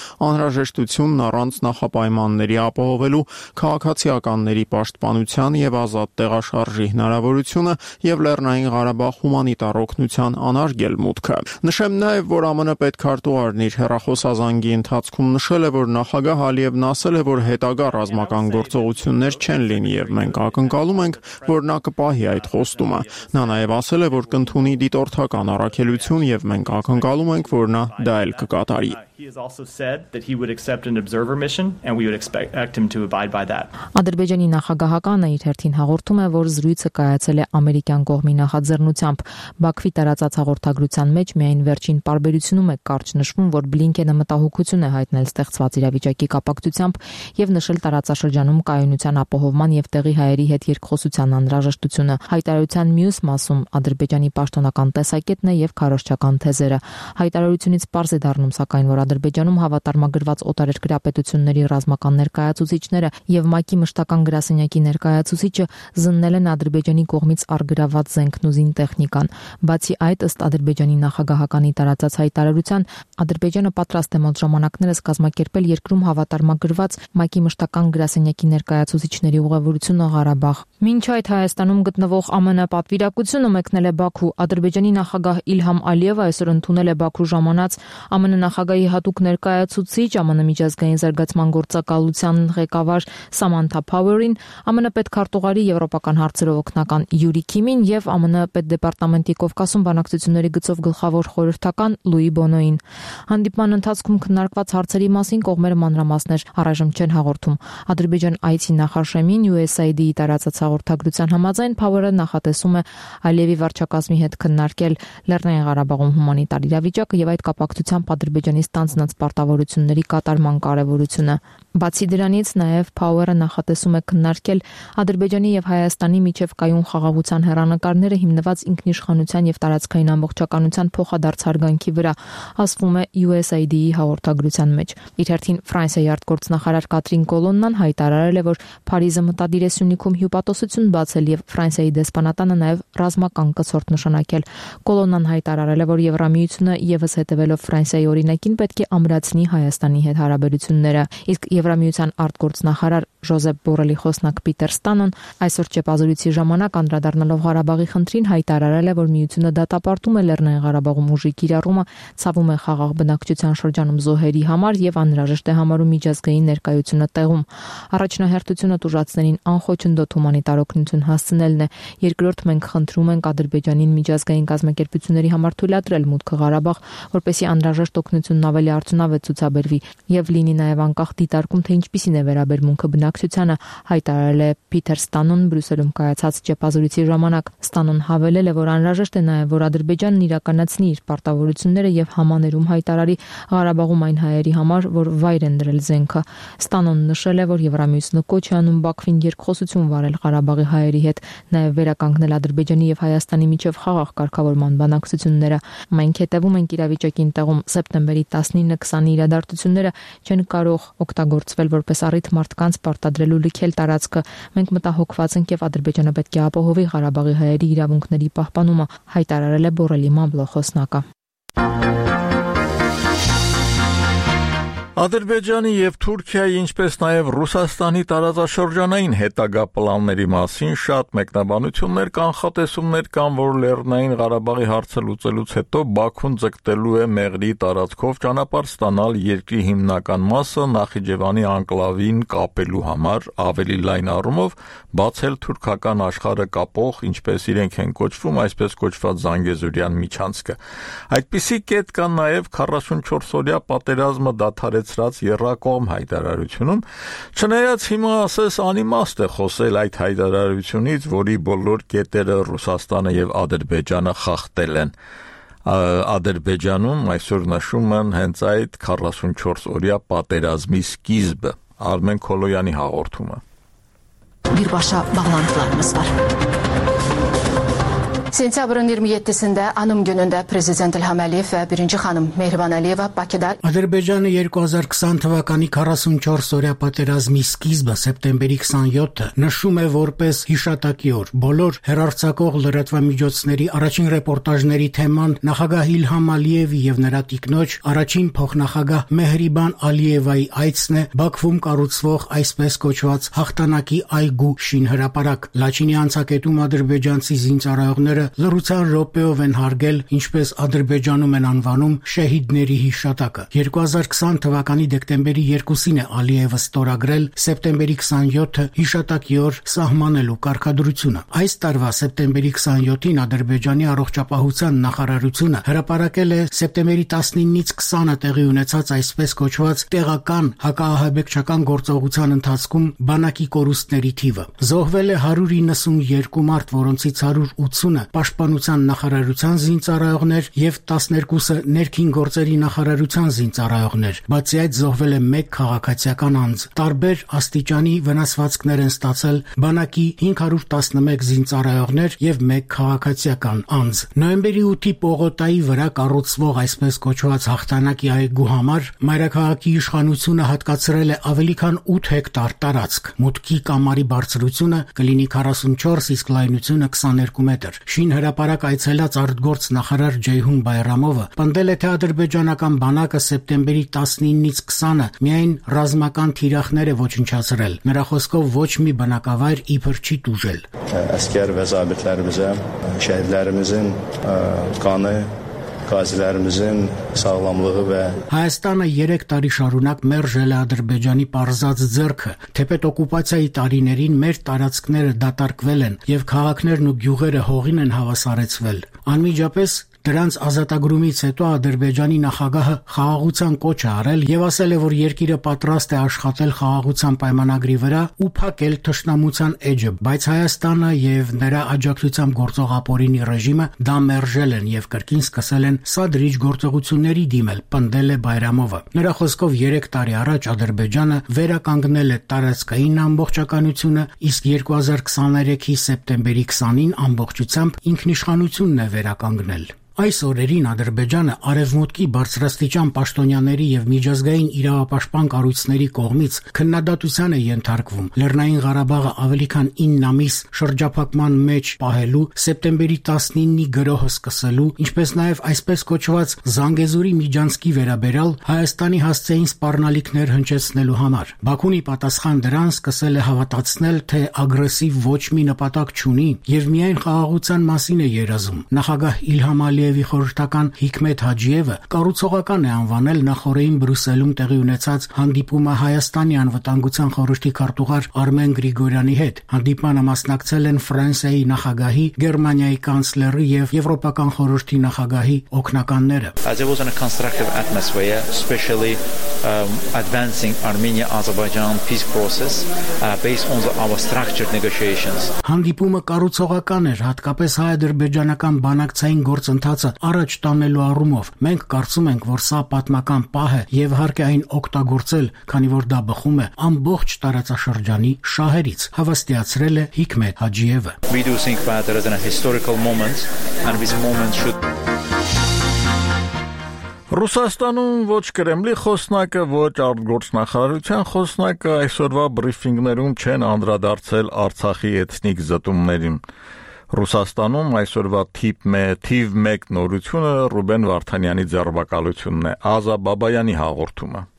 անհրաժեշտությունն առանց նախապայմանների ապահովելու քաղաքացիականների պաշտպանության եւ ազատ տեղաշարժի հնարավորությունը եւ Լեռնային Ղարաբաղ հումանիտար օգնության անարգել մուտքը։ Նշեմ նաեւ, որ ԱՄՆ պետքարտուղարն իր հեռախոսազանգի ընթացքում նշել է, որ նախագահ Ալիևն ասել է, որ հետագա ռազմական գործողություններ չեն լինի եւ մենք ակնկալում ենք, որ նա կպահի այդ խոստումը։ Նա նաեւ ասել է, որ կընդունի դիտորդական առաքելություն եւ մենք ակնկալում ենք, որ նա դա էլ կկատարի։ He has also said that he would accept an observer mission and we would expect him to abide by that. Ադրբեջանի նախագահականը իր հերթին հաղորդում է, որ զրույցը կայացել է ամերիկյան կողմի նախաձեռնությամբ։ Բաքվի տարածած հաղորդագրության մեջ միայն վերջին պարբերությունում է կարճ նշվում, որ Բլինքենը մտահոգություն է հայտնել ստեղծված իրավիճակի կապակցությամբ եւ նշել տարածաշրջանում կայունության ապահովման եւ տեղի հայերի հետ երկխոսության անհրաժեշտությունը։ Հայտարարության մյուս մասում Ադրբեջանի պաշտոնական տեսակետն է եւ քարոզչական թեզերը։ Հայտարարությունից պարզ է դառնում, սակայն, որ Ադրբեջանում հավատարմագրված օտարերկրյա պետությունների ռազմական ներկայացուցիչները եւ ՄԱԿ-ի մշտական գրասենյակի ներկայացուցիչը զննել են Ադրբեջանի կողմից արգրաված զենքն ու զինտեխնիկան։ Բացի այդ, ըստ Ադրբեջանի նախագահականի տարածած հայտարարության, Ադրբեջանը պատրաստ է մոտ ժամանակներս կազմակերպել երկրում հավատարմագրված ՄԱԿ-ի մշտական գրասենյակի ներկայացուցիչների ուղևորությունը Ղարաբաղ։ Մինչ այդ Հայաստանում գտնվող ԱՄՆ պատվիրակությունը մեկնել է Բաքու։ Ադրբեջանի նախագահ Իլհամ Ալիևը այսօր ընդունել է Բաքու ժամանած ԱՄՆ նախագահի հատուկ ներկայացուցիչ ԱՄՆ միջազգային զարգացման գործակալության ղեկավար Սամանթա Փաուերին, ԱՄՆ պետքարտուղարի եվրոպական հարցերով օգնական Յուրի Քիմին եւ ԱՄՆ պետդեպարտամենտի Կովկասում բանակցությունների գծով գլխավոր խորհրդական Լուի Բոնոին։ Հանդիպման ընթացքում քննարկված հարցերի մասին կողմերը մանրամասներ առայժմ չեն հաղորդում։ Ադրբեջան այցի նախաշեմին USAID-ի տարածած հաղորդագրության համաձայն Փաուերը նախատեսում է Ալիևի վարչակազմի հետ քննարկել Լեռնային Ղարաբաղում հումանիտար իրավիճակը եւ այդ կապակցությամբ Ադրբեջանի ստանձնած պարտավորությունների կատարման կարեւորությունը։ Բացի դրանից նաև Փաուերը նախատեսում է քննարկել Ադրբեջանի եւ Հայաստանի միջև կայուն խաղաղության հեռանկարները հիմնված ինքնիշխանության եւ տարածքային ամբողջականության փոխադարձ հարգանքի վրա, ասվում է USAID-ի հաղորդագրության մեջ։ Իր հերթին Ֆրանսիայի արտգործնախարար Կատրին Կոլոննան հայտարարել է, որ Փարիզը մտադիր է Սյունիքում հյուպատոսություն բացել եւ Ֆրանսիայի դեսպանատանը նաև ռազմական կցորդ նշանակել։ Կոլոննան հայտարարել է, որ Եվրամիությունը եւս հետևելով Ֆրանսիայի օրինակին պետք է ամրացնի Հայաստանի հետ հարաբերությունները։ Իսկ Եվրամիության արտգործնախարար Ժոզեփ Բորելի խոսնակ Պիտեր Ստանոն այսօր ճեպազորույցի ժամանակ անդրադառնալով Ղարաբաղի խնդրին հայտարարել է, որ միությունը դատապարտում է Լեռնային Ղարաբաղում ուժի կիրառումը, ցավում է խաղաղ բնակչության շրջանում զոհերի համար եւ անհրաժեշտ է համարում միջազգային ներկայությունը տեղում։ Առաջնահերթությունը տուժածներին անխոչնդոտ հումանիտար օգնություն հասցնելն է։ Երկրորդ, մենք խնդրում ենք Ադրբեջանին միջազգային կազմակերպությունների համար թույլատրել մուտքը Ղարաբաղ, որպեսզի անհրաժեշտ օգնությունն ավելի արդյունավետ ցուցաբերվի եւ լինի նաեւ անկախ դիտարկում, թե ինչպիսին է վերաբերմունքը բնակչությանը, հայտարարել է Պիտեր Ստանոն Բրյուսելում կայացած ճեպազորույցի ժամանակ։ Ստանոն հավելել է, որ անհրաժեշտ է նաեւ, որ Ադրբեջանն իրականացնի իր պարտավորությունները եւ համաներում հայտարարի Ղարաբաղում այն հայերի համար, որ վայր են դրել զենքը։ Ստանոն նշել է, որ Եվրամիությունը կոչ է անում Բաքվին երկխոսություն վարել Ղարաբաղի հայերի հետ, նաեւ վերականգնել Ադրբեջանի եւ Հայաստանի միջև խաղաղ կարգավորման բանակցությունները։ Մենք հետևում ենք իրավիճակին տեղում։ Սեպտեմբերի 19-20-ի իրադարձությունները չեն կարող օգտագործվել որպես առիթ մարդկանց պարտադրելու լքել տարածքը։ Մենք մտահոգված ենք եւ Ադրբեջանը պետք է ապահովի Ղարաբաղի հայերի իրավունքների պահպանումը, հայտարարել է Բորելի մամլո խոսնակը։ Ադրբեջանի եւ Թուրքիայի, ինչպես նաեւ Ռուսաստանի տարածաշրջանային հետագա պլանների մասին շատ մեկնաբանություններ, կանխատեսումներ կան, որ Լեռնային Ղարաբաղի հարցը լուծելուց հետո Բաքուն ձգտելու է Մեղրի տարածքով ճանապարհ ստանալ երկրի հիմնական մասը Նախիջևանի անկլավին կապելու համար, ավելի լայն առումով բացել թուրքական աշխարհը կապող, ինչպես իրենք են կոչվում, այսպես կոչված Զանգեզուրյան միջանցքը։ Այդպիսի կետ կան նաեւ 44-օրյա պատերազմը դադարեցրած եռակողմ հայտարարությունում, չնայած հիմա ասես անիմաստ է խոսել այդ հայտարարությունից, որի բոլոր կետերը Ռուսաստանը եւ Ադրբեջանը խախտել են։ Ադրբեջանում այսօր նշում են հենց այդ 44-օրյա պատերազմի սկիզբը։ Արմեն Քոլոյանի հաղորդումը։ Birbaşa bağlantılarımız var. Sentyabrın 27-sində anım günündə Prezident İlham Əliyev və birinci xanım Mehriban Əliyeva Bakıda Ադրբեջանը 2020 թվականի 44-օրյա պատերազմի սկիզբը սեպտեմբերի 27-ը նշում է որպես հիշատակի օր։ Բոլոր հեռարձակող լրատվամիջոցների առաջին ռեպորտաժների թեման նախագահ Իլհամ Ալիևի եւ նրա տիկնոջ առաջին փոխնախագահ Մեհրիբան Ալիևայի այցն է Բաքվում կառուցվող այսպես կոչված հաղթանակի այգու շինհրապարակ։ Լաչինի անցակետում ադրբեջանցի զինծառայողները լրության րոպեով են հարգել, ինչպես Ադրբեջանում են անվանում շեհիդների հիշատակը։ 2020 թվականի դեկտեմբերի 2-ին է Ալիևը ստորագրել սեպտեմբերի 27-ը հիշատակի օր սահմանելու կարգադրությունը։ Այս տարվա սեպտեմբերի 27-ին Ադրբեջանի առողջապահության նախարարությունը հրապարակել է սեպտեմբերի 19-ից 20-ը տեղի ունեցած այսպես կոչված տեղական հակաահաբեկչական գործողության ընթացքում բանակի կորուստների թիվը։ Զոհվել է 192 մարդ, որոնցից 180-ը Պաշտպանության նախարարության զինծառայողներ եւ 12-ը ներքին գործերի նախարարության զինծառայողներ։ Բացի այդ զոհվել է 1 քաղաքացիական անձ։ Տարբեր աստիճանի վնասվածքներ են ստացել բանակի 511 զինծառայողներ եւ 1 քաղաքացիական անձ։ Նոյեմբերի 8-ի Պողոտայի վրա կառուցվող այսպես կոչված հաղթանակի այգու համար մայրաքաղաքի իշխանությունը հատկացրել է ավելի քան 8 հեկտար տարածք։ Մուտքի կամարի բարձրությունը կլինի 44, իսկ լայնությունը 22 մետր։ Հրապարակ այցելած արտգործ նախարար Ջեյհուն Բայրամովը պնդել է, թե ադրբեջանական բանակը սեպտեմբերի 19-ից 20-ը միայն ռազմական թիրախներ է ոչնչացրել։ Նրա խոսքով ոչ մի բնակավայր իբր չի տուժել։ Əskər və zabitlərimizə şəhidlərimizin qanı qazilərimizin sağlamlığı və Հայաստանը 3 տարի շարունակ մերժել է Ադրբեջանի պարզած ձեռքը, թեպետ օկուպացիայի տարիներին մեր տարածքները դատարկվել են եւ քաղաքներն ու գյուղերը հողին են հավասարեցվել։ Անմիջապես դրանց ազատագրումից հետո Ադրբեջանի նախագահը խաղաղության կոչ է արել եւ ասել է, որ երկիրը պատրաստ է աշխատել խաղաղության պայմանագրի վրա ու փակել թշնամության էջը, բայց Հայաստանը եւ նրա աջակցությամբ գործող ապօրինի ռեժիմը դա մերժել են եւ կրկին սկսել են սադրիչ գործողությունների դիմել, պնդել է Բայրամովը։ Նրա խոսքով 3 տարի առաջ Ադրբեջանը վերականգնել է տարածքային ամբողջականությունը, իսկ 2023-ի սեպտեմբերի 20-ին ամբողջությամբ ինքնիշխանությունն է վերականգնել։ Այս օրերին Ադրբեջանը արևմուտքի բարձրաստիճան պաշտոնյաների եւ միջազգային իրավապաշտպան կառույցների կողմից քննադատության է ենթարկվում Լեռնային Ղարաբաղը ավելի քան 9 ամիս շրջափակման մեջ պահելու, սեպտեմբերի 19-ի գրոհը սկսելու, ինչպես նաեւ այսպես կոչված Զանգեզուրի միջանցքի վերաբերյալ Հայաստանի հասցեին սպառնալիքներ հնչեցնելու համար։ Բաքուն ի պատասխան դրան սկսել է հավատացնել, թե ագրեսիվ ոչ մի նպատակ չունի եւ միայն խաղաղության մասին է երազում։ Նախագահ Իլհամ Ալիևի խորհրդական Հիկմետ Հաջիևը կառուցողական է անվանել նախորդին Բրյուսելում տեղի ունեցած հանդիպումը Հայաստանի անվտանգության խորհրդի քարտուղար Արմեն Գրիգորյանի հետ։ Հանդիպմանը մասնակցել են Ֆրանսիայի նախագահի, Գերմանիայի կանցլերի եւ Եվրոպական խորհրդի նախագահի օգնականները։ There was a constructive atmosphere, especially advancing Armenia-Azerbaijan peace process based on our structured negotiations. Հանդիպումը կառուցողական էր, հատկապես հայ-ադրբեջանական բանակցային գործընթացը առաջ տանելու առումով։ Մենք կարծում ենք, որ սա պատմական պահ է եւ հարկ է այն օգտագործել, քանի որ դա բխում է ամբողջ տարածաշրջանի շահերից, հավաստիացրել է Հիկմետ Հաջիևը։ We do think that there is a historical moment and this moment should Ռուսաստանում ոչ Կրեմլի խոսնակը, ոչ արտգործնախարարության խոսնակը այսօրվա բրիֆինգներում չեն անդրադարձել Արցախի էթնիկ զտումներին։ Ռուսաստանում այսօրվա թիվ 1 նորությունը Ռուբեն Վարդանյանի ձերբակալությունն է, Ազա Բաբայանի հաղորդումը։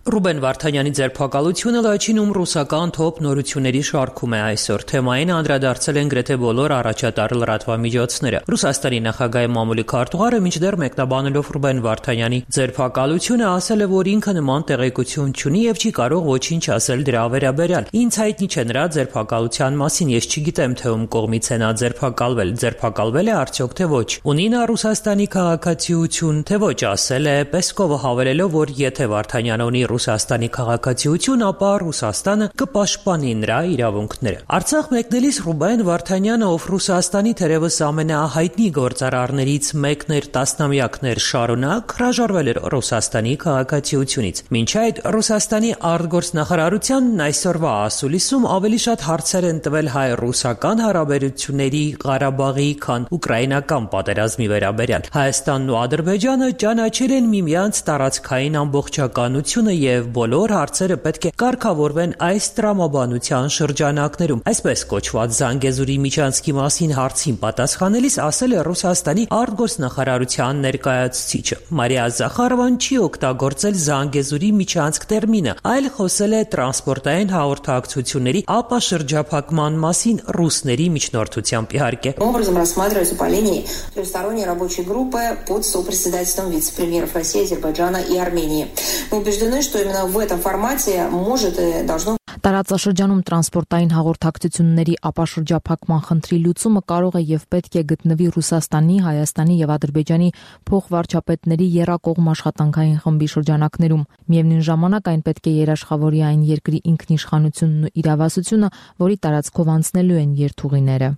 Ռուբեն Վարդանյանի ձերբակալությունը լաչինում ռուսական թոփ նորությունների շարքում է այսօր։ Թեմային անդրադարձել են գրեթե բոլոր առաջատար լրատվամիջոցները։ Ռուսաստանի նախագահի մամուլի քարտուղարը մինչդեռ մեկնաբանելով Ռուբեն Վարդանյանի ձերբակալությունը ասել է, որ ինքը նման տեղեկություն չունի եւ չի կարող ոչինչ ասել դրա վերաբերյալ։ Ինձ հայտնի չէ նրա ձերբակալության մասին, ես չգիտեմ, թե ում կողմից է նա ձերբակալվել։ Ձերբակալվել է արդյոք թե ոչ։ Ունի նա Ռուսաստանի քաղաքացիություն, թե ոչ, ասել է Պեսկովը, հավելելով, որ եթե Վարդանյանը ունի Ռուսաստանի քաղաքացիություն, ապա Ռուսաստանը կպաշտպանի նրա իրավունքները։ Արցախ մեկնելիս Ռուբեն Վարդանյանը, ով Ռուսաստանի թերևս ամենահայտնի գործարարներից մեկն էր տասնամյակներ շարունակ, հրաժարվել էր Ռուսաստանի քաղաքացիությունից։ Մինչ այդ Ռուսաստանի արտգործնախարարությանն այսօրվա ասուլիսում ավելի շատ հարցեր են տվել հայ-ռուսական հարաբերությունների, Ղարաբաղի, քան ուկրաինական պատերազմի վերաբերյալ։ Հայաստանն ու Ադրբեջանը ճանաչել են միմյանց տարածքային ամբողջականությունը եւ բոլոր հարցերը պետք է կարգավորվեն այս տրամաբանության շրջանակներում։ Այսպես կոչված Զանգեզուրի միջանցքի մասին հարցին պատասխանելիս ասել է Ռուսաստանի արտգործնախարարության ներկայացուցիչը։ Մարիա Զախարովան չի օգտագործել Զանգեզուրի միջանցք տերմինը, այլ խոսել է տրանսպորտային հաղորդակցությունների ապաշրջափակման մասին ռուսների միջնորդությամբ իհարկե։ Образом рассматривается по линии трехсторонней рабочей группы под сопредседательством вице-премьеров России, Азербайджана и Армении. Мы убеждены, что именно в этом формате может и должно Տարածաշրջանում տրանսպորտային հաղորդակցությունների ապաշրջափակման խնդրի լուծումը կարող է եւ պետք է գտնվի Ռուսաստանի, Հայաստանի եւ Ադրբեջանի փոխվարչապետների եռակողմ աշխատանքային խմբի շրջանակներում։ Միևնույն ժամանակ այն պետք է երաշխավորի այն երկրի ինքնիշխանությունն ու իրավասությունը, որի տարածքով անցնելու են երթուղիները։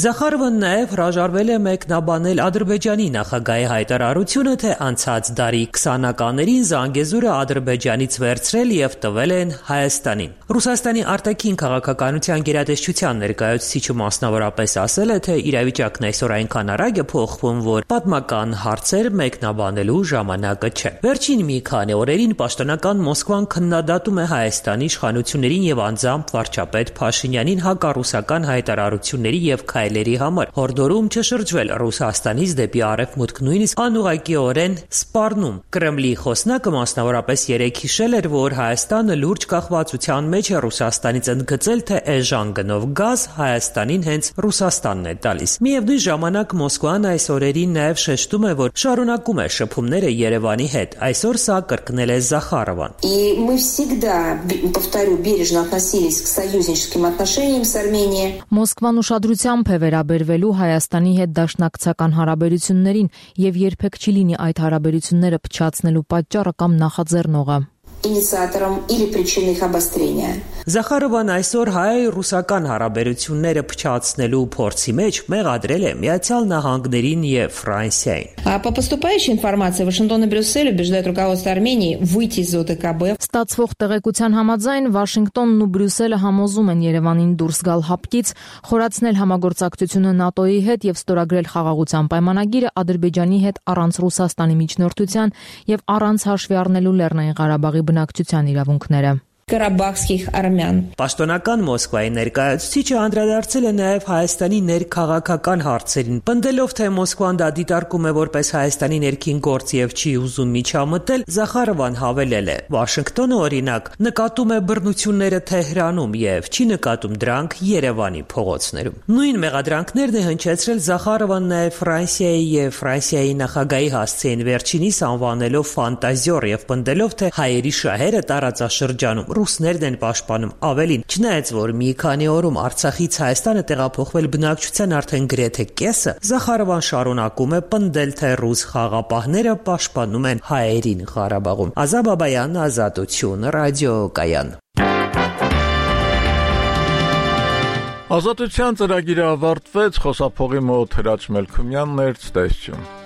Զախարովն նաև հրաժարվել է մեկնաբանել Ադրբեջանի նախագահի հայտարարությունը, թե անցած դարի 20-ականներին Զանգեզուրը Ադրբեջանից վերցրել եւ տվել են Հայաստանին։ Ռուսաստանի արտաքին քաղաքականության գերատեսչության ներկայացուցիչը մասնավորապես ասել է, թե իրավիճակն այսօր այնքան արագ է փոխվում, որ պատմական հարցեր մեկնաբանելու ժամանակը չէ։ Վերջին մի քանի օրերին պաշտոնական Մոսկվան քննադատում է Հայաստանի իշխանություններին եւ անձամբ վարչապետ Փաշինյանին հակառուսական հայտարարությունների հայտարարությունների եւ քայլերի համար, հորդորում չշրջվել Ռուսաստանից դեպի արևմուտք, նույնիսկ անուղղակիորեն սպառնում։ Կրեմլի խոսնակը մասնավորապես երեկ հիշել էր, որ Հայաստանը լուրջ կախվածության մեջ է Ռուսաստանից, ընդգծել, թե էժան գնով գազ Հայաստանին հենց Ռուսաստանն է տալիս։ Միևնույն ժամանակ Մոսկվան այս օրերին նաեւ շեշտում է, որ շարունակում է շփումները Երևանի հետ։ Այսօր սա կրկնել է Զախարովան։ И мы всегда, повторю, бережно относились к союзническим отношениям с Арменией. Մոսկվան ուշադրությամբ է վերաբերվելու Հայաստանի հետ դաշնակցական հարաբերություններին եւ երբեք չի լինի այդ հարաբերությունները փչացնելու պատճառը կամ նախաձեռնողը։ Инициатором или причиной их обострения. Զախարովան այսօր հայ-ռուսական հարաբերությունները փչացնելու փորձի մեջ մեղադրել է Միացյալ Նահանգներին եւ Ֆրանսիային։ По поступающей информации Вашингтон и Брюссель убеждают руководство Армении выйти из ОДКБ. Ստացվող տեղեկության համաձայն Վաշինգտոնն ու Բրյուսելը համոզում են Երևանին դուրս գալ հապկից, խորացնել համագործակցությունը ՆԱՏՕ-ի հետ եւ ստորագրել խաղաղության պայմանագիրը Ադրբեջանի հետ առանց Ռուսաստանի միջնորդության եւ առանց հաշվի առնելու Լեռնային Ղարաբաղի բնակչության իրավունքները։ Կարաբախских армян. Պաշտոնական Մոսկվայի ներկայացուցիչը անդրադարձել է նաև Հայաստանի ներքաղաքական հարցերին, պնդելով, թե Մոսկվան դա դիտարկում է որպես Հայաստանի ներքին գործ եւ չի ուզում միջամտել, Զախարովան հավելել է. Վաշինգտոնը օրինակ նկատում է բռնությունները Թեհրանում եւ չի նկատում դրանք Երևանի փողոցներում։ Նույն մեղադրանքներն է հնչեցրել Զախարովան նաև Ֆրանսիայի եւ Ֆրանսիայի նախագահի հասցեին վերջինիս անվանելով ֆանտազիոր եւ պնդելով, թե հայերի շահերը տարածաշրջանում ռուսներն են պաշտպանում, ավելին, չնայած որ մի քանի օրում Արցախից Հայաստանը տեղափոխվել բնակչության արդեն գրեթե կեսը, Զախարովան շարունակում է պնդել, թե ռուս խաղապահները պաշտպանում են հայերին Ղարաբաղում։ Ազատ Բաբայան, Ազատություն, ռադիոկայան։ Ազատության ծրագիրը ավարտվեց, խոսափողի մոտ Հրաչ Մելքումյանն էր, ցտեսություն։